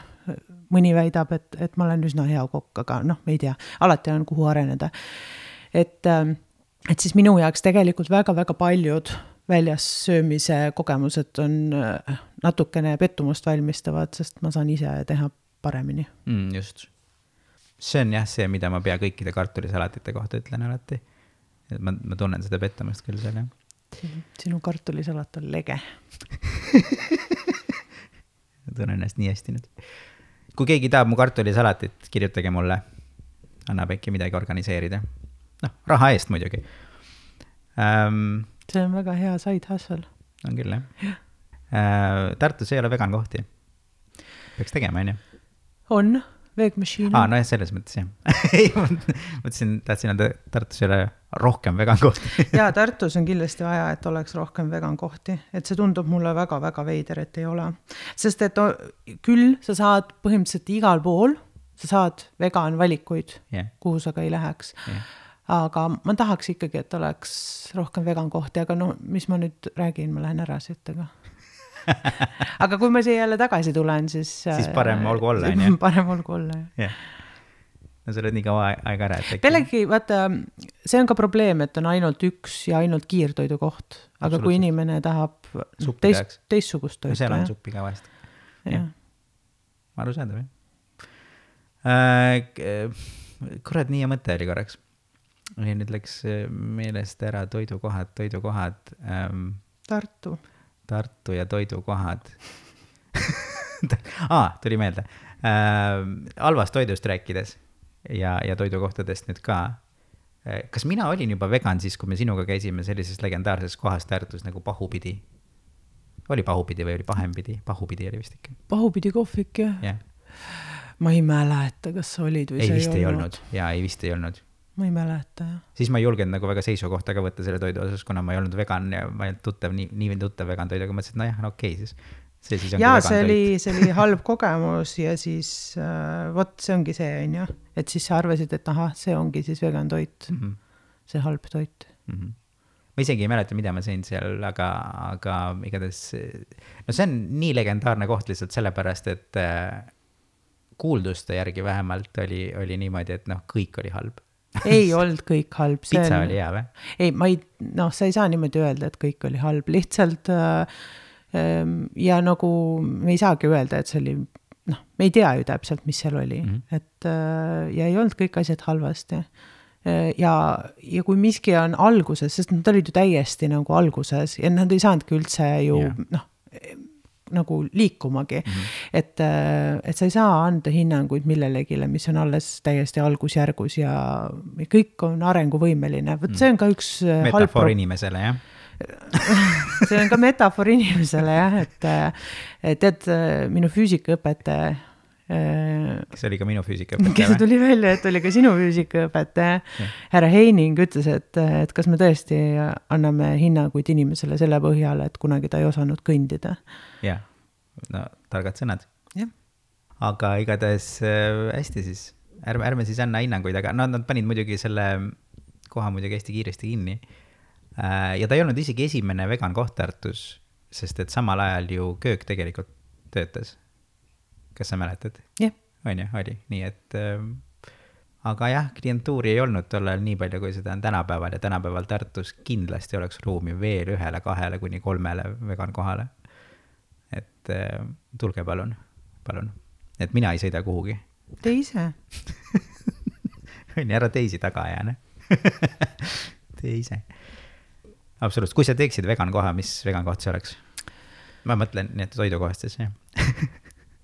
Mõni väidab, et, et ma olen üsna hea kokk, aga noh, ei tea. Alati on kuhu areneda. Et... Ähm, Et siis minu jaoks tegelikult väga-väga paljud väljas söömise kogemused on natukene pettumust valmistavad, sest ma saan ise teha paremini. Mm, just. See on jah see, mida ma pea kõikide kartulisalatite kohta ütlen alati. Ma, ma tunnen seda pettumust küll seal, jah. Sinu kartulisalat on lege. Ma tunnen ennast nii hästi nüüd. Kui keegi tahab mu kartulisalatit, kirjutage mulle. Annab äkki midagi organiseerida. Noh, raha eest muidugi. Um, see on väga hea side hustle. On küll, jah. Ja. Uh, Tartus ei ole vegan kohti. Peaks tegema, on ju? On, veegmašiin. Aa, no jah, selles mõttes, jah. Mõtlesin, tahtsin öelda, Tartus ei ole rohkem vegan kohti. Jaa, Tartus on kindlasti vaja, et oleks rohkem vegan kohti. Et see tundub mulle väga-väga veider, et ei ole. Sest et küll sa saad põhimõtteliselt igal pool, sa saad vegan valikuid, yeah. Kuhu sa ka ei läheks. Yeah. Aga ma tahaks ikkagi, et oleks rohkem vegan kohti, aga no mis ma nüüd räägin, ma lähen ära siit, aga aga kui ma siia jälle tagasi tulen, siis siis parem olgu olla, on parem olgu olla, jah. Yeah. No sa oled nii kaua aega ära, et Pellegi, vaata, see on ka probleem, et on ainult üks ja ainult kiirtoidu koht, aga kui inimene tahab teist, teistsugust toitu. No seal on suppi ka vahest. Jah. Aru saada või? Äh, kurat, nii ja mõte oli korraks. Ja nüüd läks meelest ära toidukohad, toidukohad. Ähm, Tartu. Tartu ja toidukohad. Aa, tuli meelde. Äh, halvast toidust rääkides ja, ja toidukohtadest nüüd ka. Kas mina olin juba vegan siis, kui me sinuga käisime sellises legendaarses kohas Tartus nagu Pahupidi? Oli Pahupidi või oli Pahempidi? Pahupidi oli vist ikka. Pahupidi kohvik, jah. Yeah. Ma ei mäleta, kas sa olid või ei, sa vist ei olnud. Jaa, ei vist ei olnud. Ma ei mäleta, jah. Siis ma ei julgenud nagu väga seisukohta ka võtta selle toidu osas, kuna ma ei olnud vegan ja ma ei olnud tuttav, nii, nii tuttav vegan toidu, aga mõtlesin, et no jah, no okei siis. See siis ongi ja, vegan see toit. oli, see oli halb kogemus ja siis äh, vot see ongi see, on ju, et siis sa arvasid, et aha, see ongi siis vegan toit, mm-hmm. see halb toit. Mm-hmm. Ma isegi ei mäleta, mida ma sõin seal, aga, aga igatahes, no see on nii legendaarne koht lihtsalt sellepärast, et äh, kuulduste järgi vähemalt oli, oli niimoodi, et noh, kõik oli halb. Ei olnud kõik halb. Pitsa on... oli hea või? Ei, ma ei, noh, sa ei saa niimoodi öelda, et kõik oli halb, lihtsalt äh, ja nagu me ei saagi öelda, et see oli, noh, me ei tea ju täpselt, mis seal oli, mm-hmm. et ja ei olnud kõik asjad halvasti. Ja, ja kui miski on alguses, sest nad olid ju täiesti nagu alguses ja nad ei saanudki üldse ju, yeah. noh, nagu liikumagi, mm-hmm. et, et sa ei saa anda hinnanguid millelegile, mis on alles täiesti algusjärgus ja kõik on arenguvõimeline. Võt see on ka üks metafoor halb... inimesele, jah? see on ka metafoor inimesele, jah, et tead, minu füüsikaõpetaja kes oli ka minu füüsikaõpetaja, kes tuli välja, et oli ka sinu füüsikaõpetaja, härra Heining ütles, et, et kas me tõesti anname hinnanguid inimesele selle põhjale, et kunagi ta ei osanud kõndida. Jah, no targad sõnad. Jah. Aga igatahes hästi siis, ärme, ärme siis anna hinnanguid, aga no, nad panid muidugi selle koha muidugi hästi kiiresti kinni. Ja ta ei olnud isegi esimene vegan koht Tartus, sest et samal ajal ju köök tegelikult töötas. Kas sa mäletad? Jah. On ju, oli. Nii et, äh, aga jah, klientuuri ei olnud tollal nii palju, kui seda on tänapäeval ja tänapäeval Tartus kindlasti oleks ruumi veel ühele, kahele kuni kolmele vegan kohale. Et äh, tulge palun, palun. Et mina ei sõida kuhugi. Te ise? On ju, ära teisi taga jääne. Te ise. Absoluutselt. Kui sa teeksid vegan koha, mis vegan koht see oleks? Ma mõtlen nii, et toidukohast siis, jah.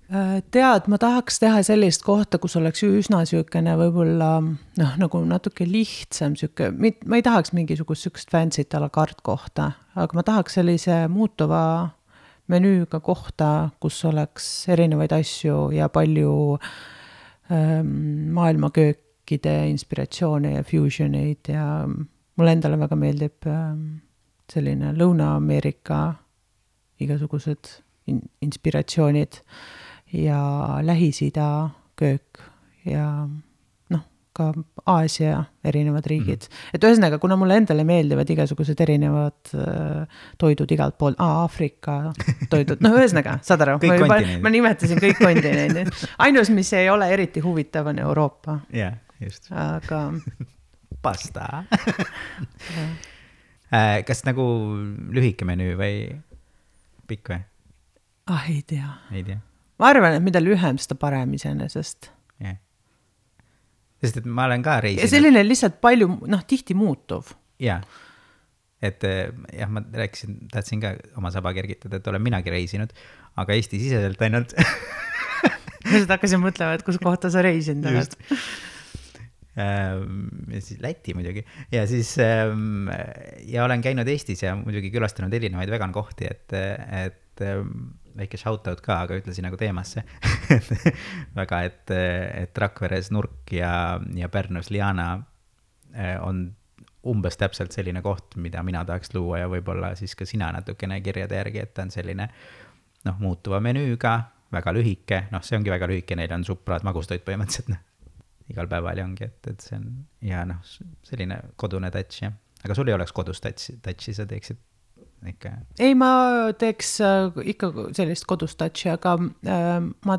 Tead, ma tahaks teha sellist kohta, kus oleks üsna sükene võib-olla, noh, nagu natuke lihtsam süke, ma ei tahaks mingisugust sükest fancy't a la carte kohta, aga ma tahaks sellise muutuva menüüga kohta, kus oleks erinevaid asju ja palju ähm, maailmaköökide inspiratsioone ja fusioneid ja mulle endale väga meeldib ähm, selline Lõuna-Ameerika igasugused in- inspiratsioonid ja Lähis-Ida köök ja noh, ka Aasia erinevad riigid. Mm-hmm. Et ühesõnaga, kuna mulle endale meeldivad igasugused erinevad äh, toidud igalt poolt, aa, Afrika toidud, noh ühesõnaga, saad aru, ma, juba, ma nimetasin kõik kontinendid. Ainus, mis ei ole eriti huvitav, on Euroopa. Jah, yeah, just. Aga... Pasta. Kas nagu lühike menüü või pikk või? Ah, ei tea. Ei tea. Ma arvan, et mida lühem, seda parem iseenesest. Yeah. Sest et ma olen ka reisinud. Ja selline lihtsalt palju, noh, tihti muutuv. Jaa. Et jah, ma rääkisin, tahtsin ka oma saba kergitada, et olen minagi reisinud, aga Eesti siseselt ainult. Ma seda hakkasin mõtlema, et kus kohta sa reisinud oled. Ja siis Läti muidugi ja siis ja olen käinud Eestis ja muidugi külastanud erinevaid vegan kohti, et, et väike shoutout ka, aga ütlesin nagu teemasse väga, et, et Rakveres Nurk ja, ja Pärnus Liana on umbes täpselt selline koht, mida mina tahaks luua ja võib-olla siis ka sina natukene kirjade järgi, et ta on selline noh, muutuva menüüga, väga lühike, noh see ongi väga lühike, neil on supraad magustoit põhimõtteliselt, noh igal päeval ongi, et, et see on ja noh, selline kodune touch, jah. Aga sul ei oleks kodus touchi, touchi, sa teeksid ikka? Ei, ma teeks ikka sellist kodus touchi, aga ma,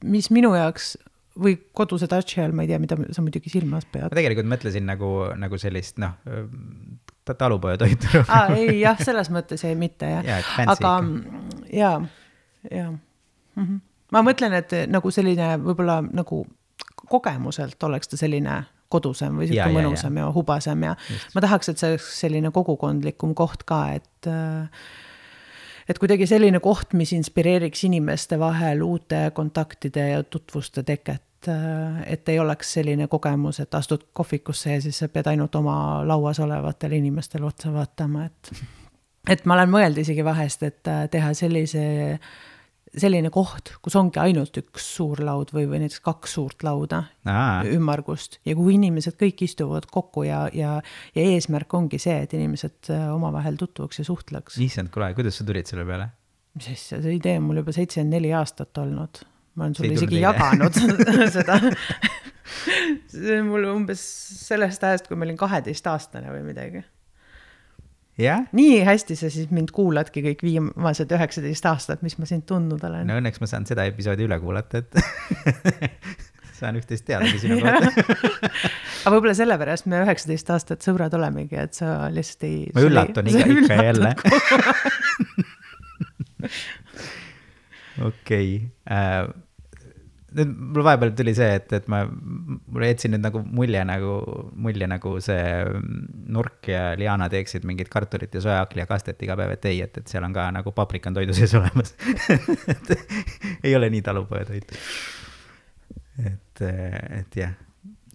mis minu jaoks või koduse touchi all, ma ei tea, mida sa muidugi silmas pead. Ma tegelikult mõtlesin nagu, nagu sellist, noh, talupoja toitu. Aa, ei, jah, selles mõttes ei mitte, jah. Ja, aga jaa, jaa. Mm-hmm. Ma mõtlen, et nagu selline võib-olla nagu kogemuselt oleks ta selline kodusem või selline mõnusam ja, ja, ja hubasem ja just. Ma tahaks, et see oleks selline kogukondlikum koht ka, et, et kuidagi selline koht, mis inspireeriks inimeste vahel uute kontaktide ja tutvuste teket, et ei oleks selline kogemus, et astud kohvikusse ja siis sa pead ainult oma lauas olevatel inimestel otsa vaatama, et, et ma olen mõelnud isegi vahest, et teha sellise selline koht, kus ongi ainult üks suur laud või, või näiteks kaks suurt lauda Aa. ümmargust ja kuhu inimesed kõik istuvad kokku ja, ja, ja eesmärk ongi see, et inimesed omavahel tutvuks ja suhtleks. Issand, kuule, kuidas sa tulid selle peale? Mis asja, see idee on mul juba seitsekümmend neli aastat olnud. Ma olen sulle isegi jaganud seda. See on mul umbes sellest ajast, kui ma olin kaheteist aastane või midagi. Yeah? Nii hästi sa siis mind kuuladki kõik viimased üheksateist aastat, mis ma sind tundnud olen. No õnneks ma saan seda episoodi üle kuulata, et saan üht-teist teadagi sinu kohta. Aga võib-olla sellepärast me üheksateist aastat sõbrad olemegi, et sa lihtsalt ei... Ma üllatun ikka, ikka jälle. Okei. Nüüd mul vahepeal tuli see, et, et ma mulle jätsin nüüd nagu mulje nagu, mulje nagu see Nurk ja Liana teeksid mingid kartulit ja sojaakli ja kastet iga päev, et ei, et, et seal on ka nagu paprikan toidu sees olemas. Ei ole nii talupoja toitu. Et, et jah,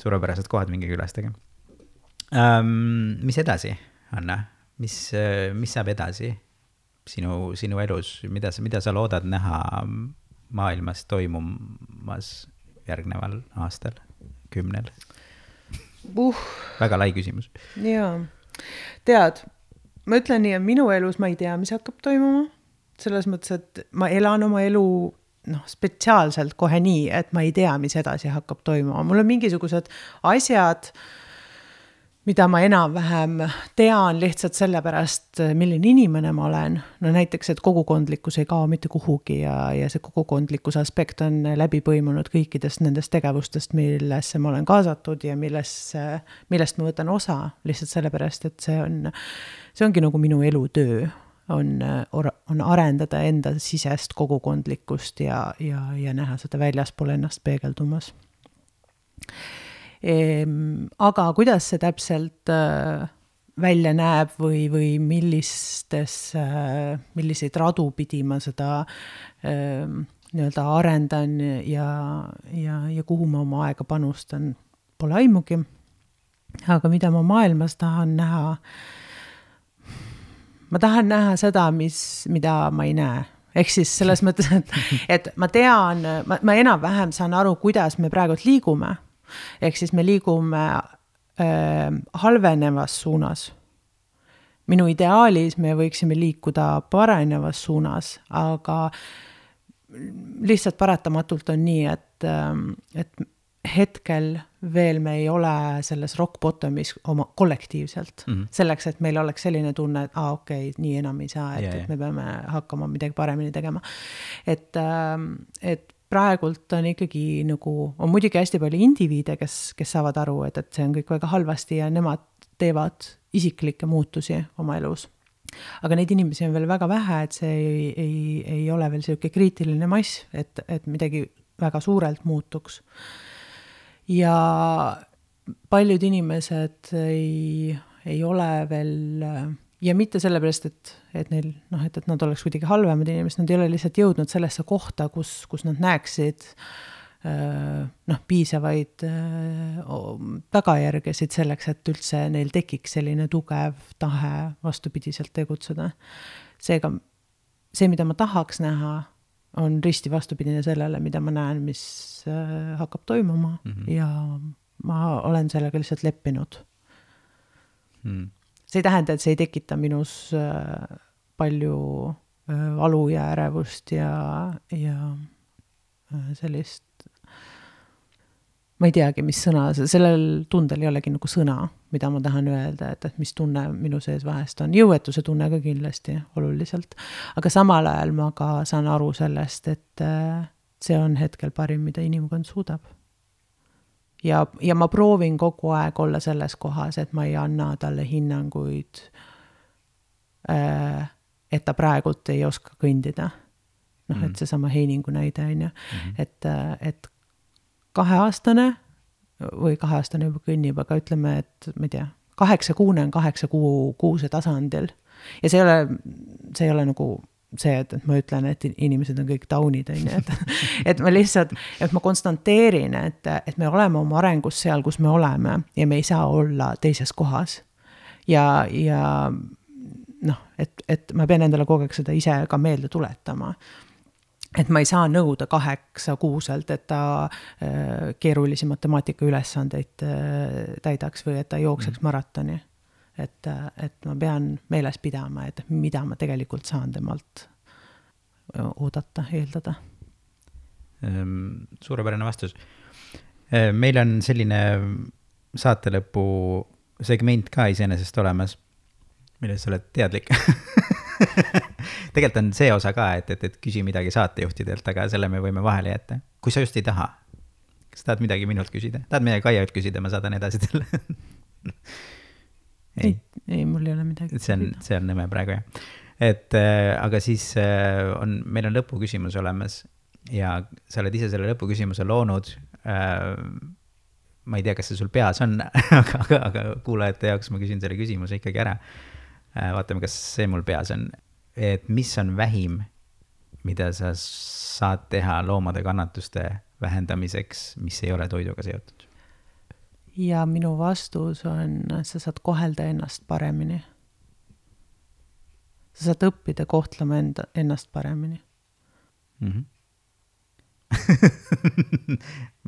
suurepärased kohad mingi külastage. Um, mis edasi, Anna? Mis, mis saab edasi sinu, sinu elus? Mida, mida sa loodad näha maailmas toimumas järgneval aastal, kümnel? Uh. Väga lai küsimus. Jaa. Tead, ma ütlen nii, et minu elus ma ei tea, mis hakkab toimuma. Selles mõttes, et ma elan oma elu noh, spetsiaalselt kohe nii, et ma ei tea, mis edasi hakkab toimuma. Mul on mingisugused asjad, mida ma enam-vähem tean lihtsalt sellepärast, milline inimene ma olen. No näiteks, et kogukondlikkus ei kao mitte kuhugi ja, ja see kogukondlikkuse aspekt on läbi põimunud kõikidest nendest tegevustest, millesse ma olen kaasatud ja millesse, millest ma võtan osa lihtsalt sellepärast, et see on, see ongi nagu minu elutöö, on, on arendada enda sisest kogukondlikkust ja, ja, ja näha seda väljaspool ennast peegeldumas. Ehm, aga kuidas see täpselt äh, välja näeb või, või millistes, äh, milliseid radu pidi ma seda äh, nii-öelda arendan ja, ja, ja kuhu ma oma aega panustan, pole aimugi. Aga mida ma maailmas tahan näha, ma tahan näha seda, mis, mida ma ei näe. Ehk siis selles mõttes, et, et ma tean, ma, ma enam-vähem saan aru, kuidas me praegu liigume. Ehk siis me liigume äh, halvenevas suunas. Minu ideaalis me võiksime liikuda parenevas suunas, aga lihtsalt paratamatult on nii, et, äh, et hetkel veel me ei ole selles rock bottomis oma kollektiivselt. Mm-hmm. Selleks, et meil oleks selline tunne, et ah, okei, okay, nii enam ei saa, et, yeah, et me peame hakkama midagi paremini tegema. Et, äh, et praegult on ikkagi nagu, on muidugi hästi palju indiviide, kes, kes saavad aru, et, et see on kõik väga halvasti ja nemad teevad isiklikke muutusi oma elus. Aga neid inimesi on veel väga vähe, et see ei, ei, ei ole veel selline kriitiline mass, et, et midagi väga suurelt muutuks. Ja paljud inimesed ei, ei ole veel... Ja mitte sellepärast, et, et, neil, noh, et, et nad oleks kuidagi halvemad inimesed, nad ei ole lihtsalt jõudnud sellesse kohta, kus, kus nad näeksid äh, noh, piisavaid äh, tagajärgesid selleks, et üldse neil tekiks selline tugev tahe vastupidiselt tegutseda. Seega see, mida ma tahaks näha, on risti vastupidine sellele, mida ma näen, mis äh, hakkab toimuma mm-hmm. ja ma olen sellega lihtsalt leppinud. Hmm. See ei tähenda, et see ei tekita minus palju valu ja ärevust ja, ja sellist, ma ei teagi, mis sõna, sellel tundel ei olegi nagu sõna, mida ma tahan öelda, et, et mis tunne minu sees vahest on. Jõuetuse tunne ka kindlasti oluliselt. Aga samal ajal ma ka saan aru sellest, et see on hetkel parim, mida inimkond suudab. Ja, ja ma proovin kogu aeg olla selles kohas, et ma ei anna talle hinnanguid, et ta praegult ei oska kõndida. Noh, mm. et see sama Heiningu näide on ju, mm-hmm. et, et kaheaastane või kaheaastane juba kõnnib, aga ütleme, et ma ei tea, kaheksa kuune on kaheksa kuu kuuse tasandil. Ja see ei ole, see ei ole nagu see, et, et ma ütlen, et inimesed on kõik taunid, on ju, et, et ma lihtsalt, et ma konstanteerin, et, et me oleme oma arengus seal, kus me oleme ja me ei saa olla teises kohas. Ja, ja noh, et, et ma pean endale kogu aeg seda ise ka meelde tuletama. Et ma ei saa nõuda kaheksa kuuselt, et ta äh, keerulisi matemaatika ülesandeid äh, täidaks või et ta jookseks maratoni. Et, äh, et ma pean meeles pidama, et mida ma tegelikult saan temalt oodata, eeldada. Suurepärane vastus. Meil on selline saatelõpu segment ka iseenesest olemas, milles sa oled teadlik. Tegelikult on see osa ka, et, et, et küsi midagi saatejuhtidelt, aga selle me võime vahele jätta. Kui sa just ei taha, kas tahad midagi minult küsida? Tahad midagi Kaialt küsida, ma saadan edasi teile. ei, ei, mul ei ole midagi. See on, see on nõme praegu, jah. Et, äh, aga siis äh, on, meil on lõpuküsimus olemas ja sa oled ise selle lõpuküsimuse loonud. Äh, ma ei tea, kas see sul peas on, aga, aga, aga kuulajate jaoks ma küsin selle küsimuse ikkagi ära. Vaatame, kas see mul peas on, et mis on vähim, mida sa saad teha loomade kannatuste vähendamiseks, mis ei ole toiduga seotud? Ja minu vastus on, sa saad kohelda ennast paremini. Sa saad õppida kohtlema enda, ennast paremini. Mm-hmm.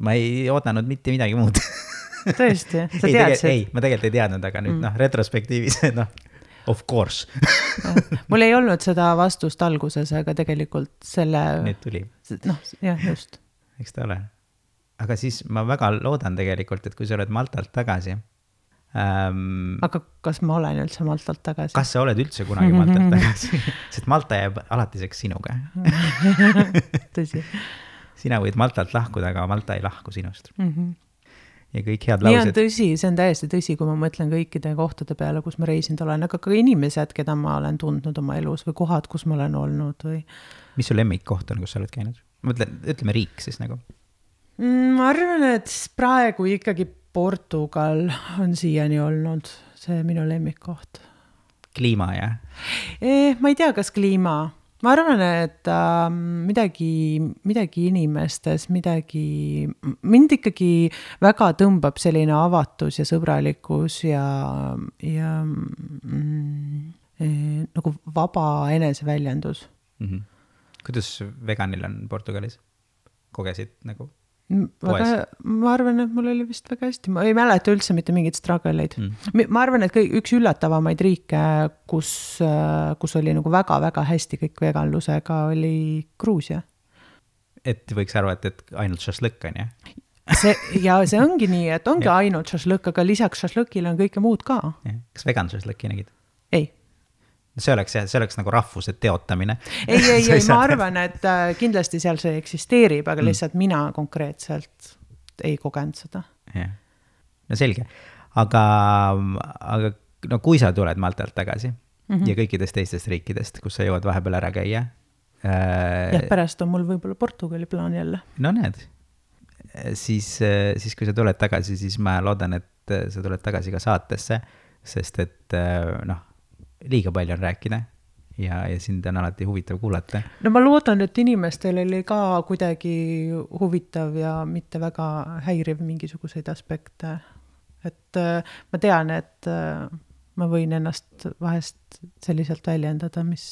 Ma ei oodanud mitte midagi muud. Tõesti? Sa ei, tead tegel, ei, ma tegelikult ei teadnud, aga nüüd mm. noh, retrospektiivis, noh, of course. Mul ei olnud seda vastust alguses, aga tegelikult selle... Nüüd tuli. Noh, jah, just. Eks ta ole. Aga siis ma väga loodan tegelikult, et kui sa oled Maltalt tagasi... Ähm, aga kas ma olen üldse Maltalt tagasi? Kas sa oled üldse kunagi Maltalt tagasi? Sest Malta jääb alatiseks sinuga. Tõsi. Sina võid Maltalt lahkuda, aga Malta ei lahku sinust. Mhm. Ja kõik head laused. Nii on tõsi, see on täiesti tõsi, kui ma mõtlen kõikide kohtade peale, kus ma reisinud olen, aga ka inimesed, keda ma olen tundnud oma elus või kohad, kus ma olen olnud. Või... Mis su lemmik koht on, kus sa oled käinud? Ma mõtlen, ütleme riik siis nagu. Ma arvan, et praegu ikkagi Portugal on siiani olnud see minu lemmik koht. Kliima, jah? Eh, ma ei tea, kas kliima. Ma arvan, et äh, midagi, midagi inimestes, midagi, mind ikkagi väga tõmbab selline avatus ja sõbralikkus ja, ja mm, eh, nagu vaba eneseväljendus. Mm-hmm. Kuidas veganil on Portugalis? Kogesid nagu? Väga, ma arvan, et mul oli vist väga hästi. Ma ei mäleta üldse mitte mingid struggle'id. Mm. Ma arvan, et kõik, üks üllatavamaid riike, kus, kus oli nagu väga-väga hästi kõik veganlusega, oli Gruusia. Et võiks arva, et, et ainult šašlõkk on, jah? See, ja see ongi nii, et ongi ainult šašlõkk, aga lisaks šašlõkile on kõike muud ka. Ja. Kas vegan šašlõkki nägid? Ei. See oleks, see oleks nagu rahvuse teotamine. Ei, ei, ei, ma arvan, et kindlasti seal see eksisteerib, aga lihtsalt mm. mina konkreetselt ei kogenud seda. Ja. No selge. Aga, aga no, kui sa tuled Maltalt tagasi mm-hmm. ja kõikidest teistest riikidest, kus sa jõuad vahepeal ära käia. Äh, jah, pärast on mul võib-olla Portugali plaan jälle. No need. Siis, siis kui sa tuled tagasi, siis ma loodan, et sa tuled tagasi ka saatesse, sest et noh, liiga palju on rääkida ja, ja sind on alati huvitav kuulata. No ma loodan, et inimestel oli ka kuidagi huvitav ja mitte väga häiriv mingisuguseid aspekte. Et äh, ma tean, et äh, ma võin ennast vahest selliselt väljendada, mis...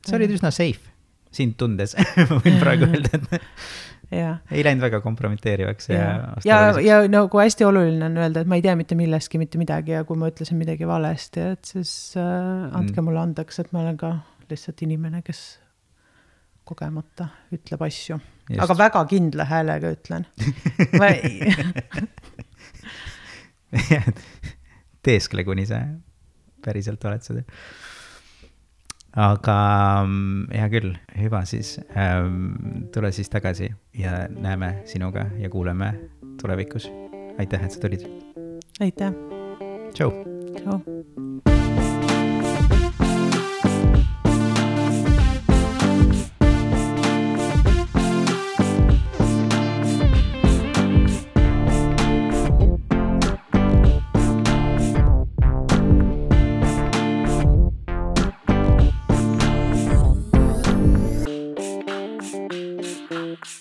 Sa olid üsna safe sind tundes, ma võin praegu öelda, et... Ja. Ei läinud väga kompromiteerivaks. Ja, ja, ja, ja nagu hästi oluline on öelda, et ma ei tea mitte millestki, mitte midagi ja kui ma ütlesin midagi valesti, et siis äh, andke mulle andeks, et ma olen ka lihtsalt inimene, kes kogemata ütleb asju. Just. Aga väga kindla häälega ütlen. Ma ei... teeskle, kuni sa päriselt oled seda. Aga hea küll, hüva siis, tule siis tagasi ja näeme sinuga ja kuuleme tulevikus. Aitäh, et sa tulid. Aitäh. Tšau. Tšau.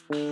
Thank you.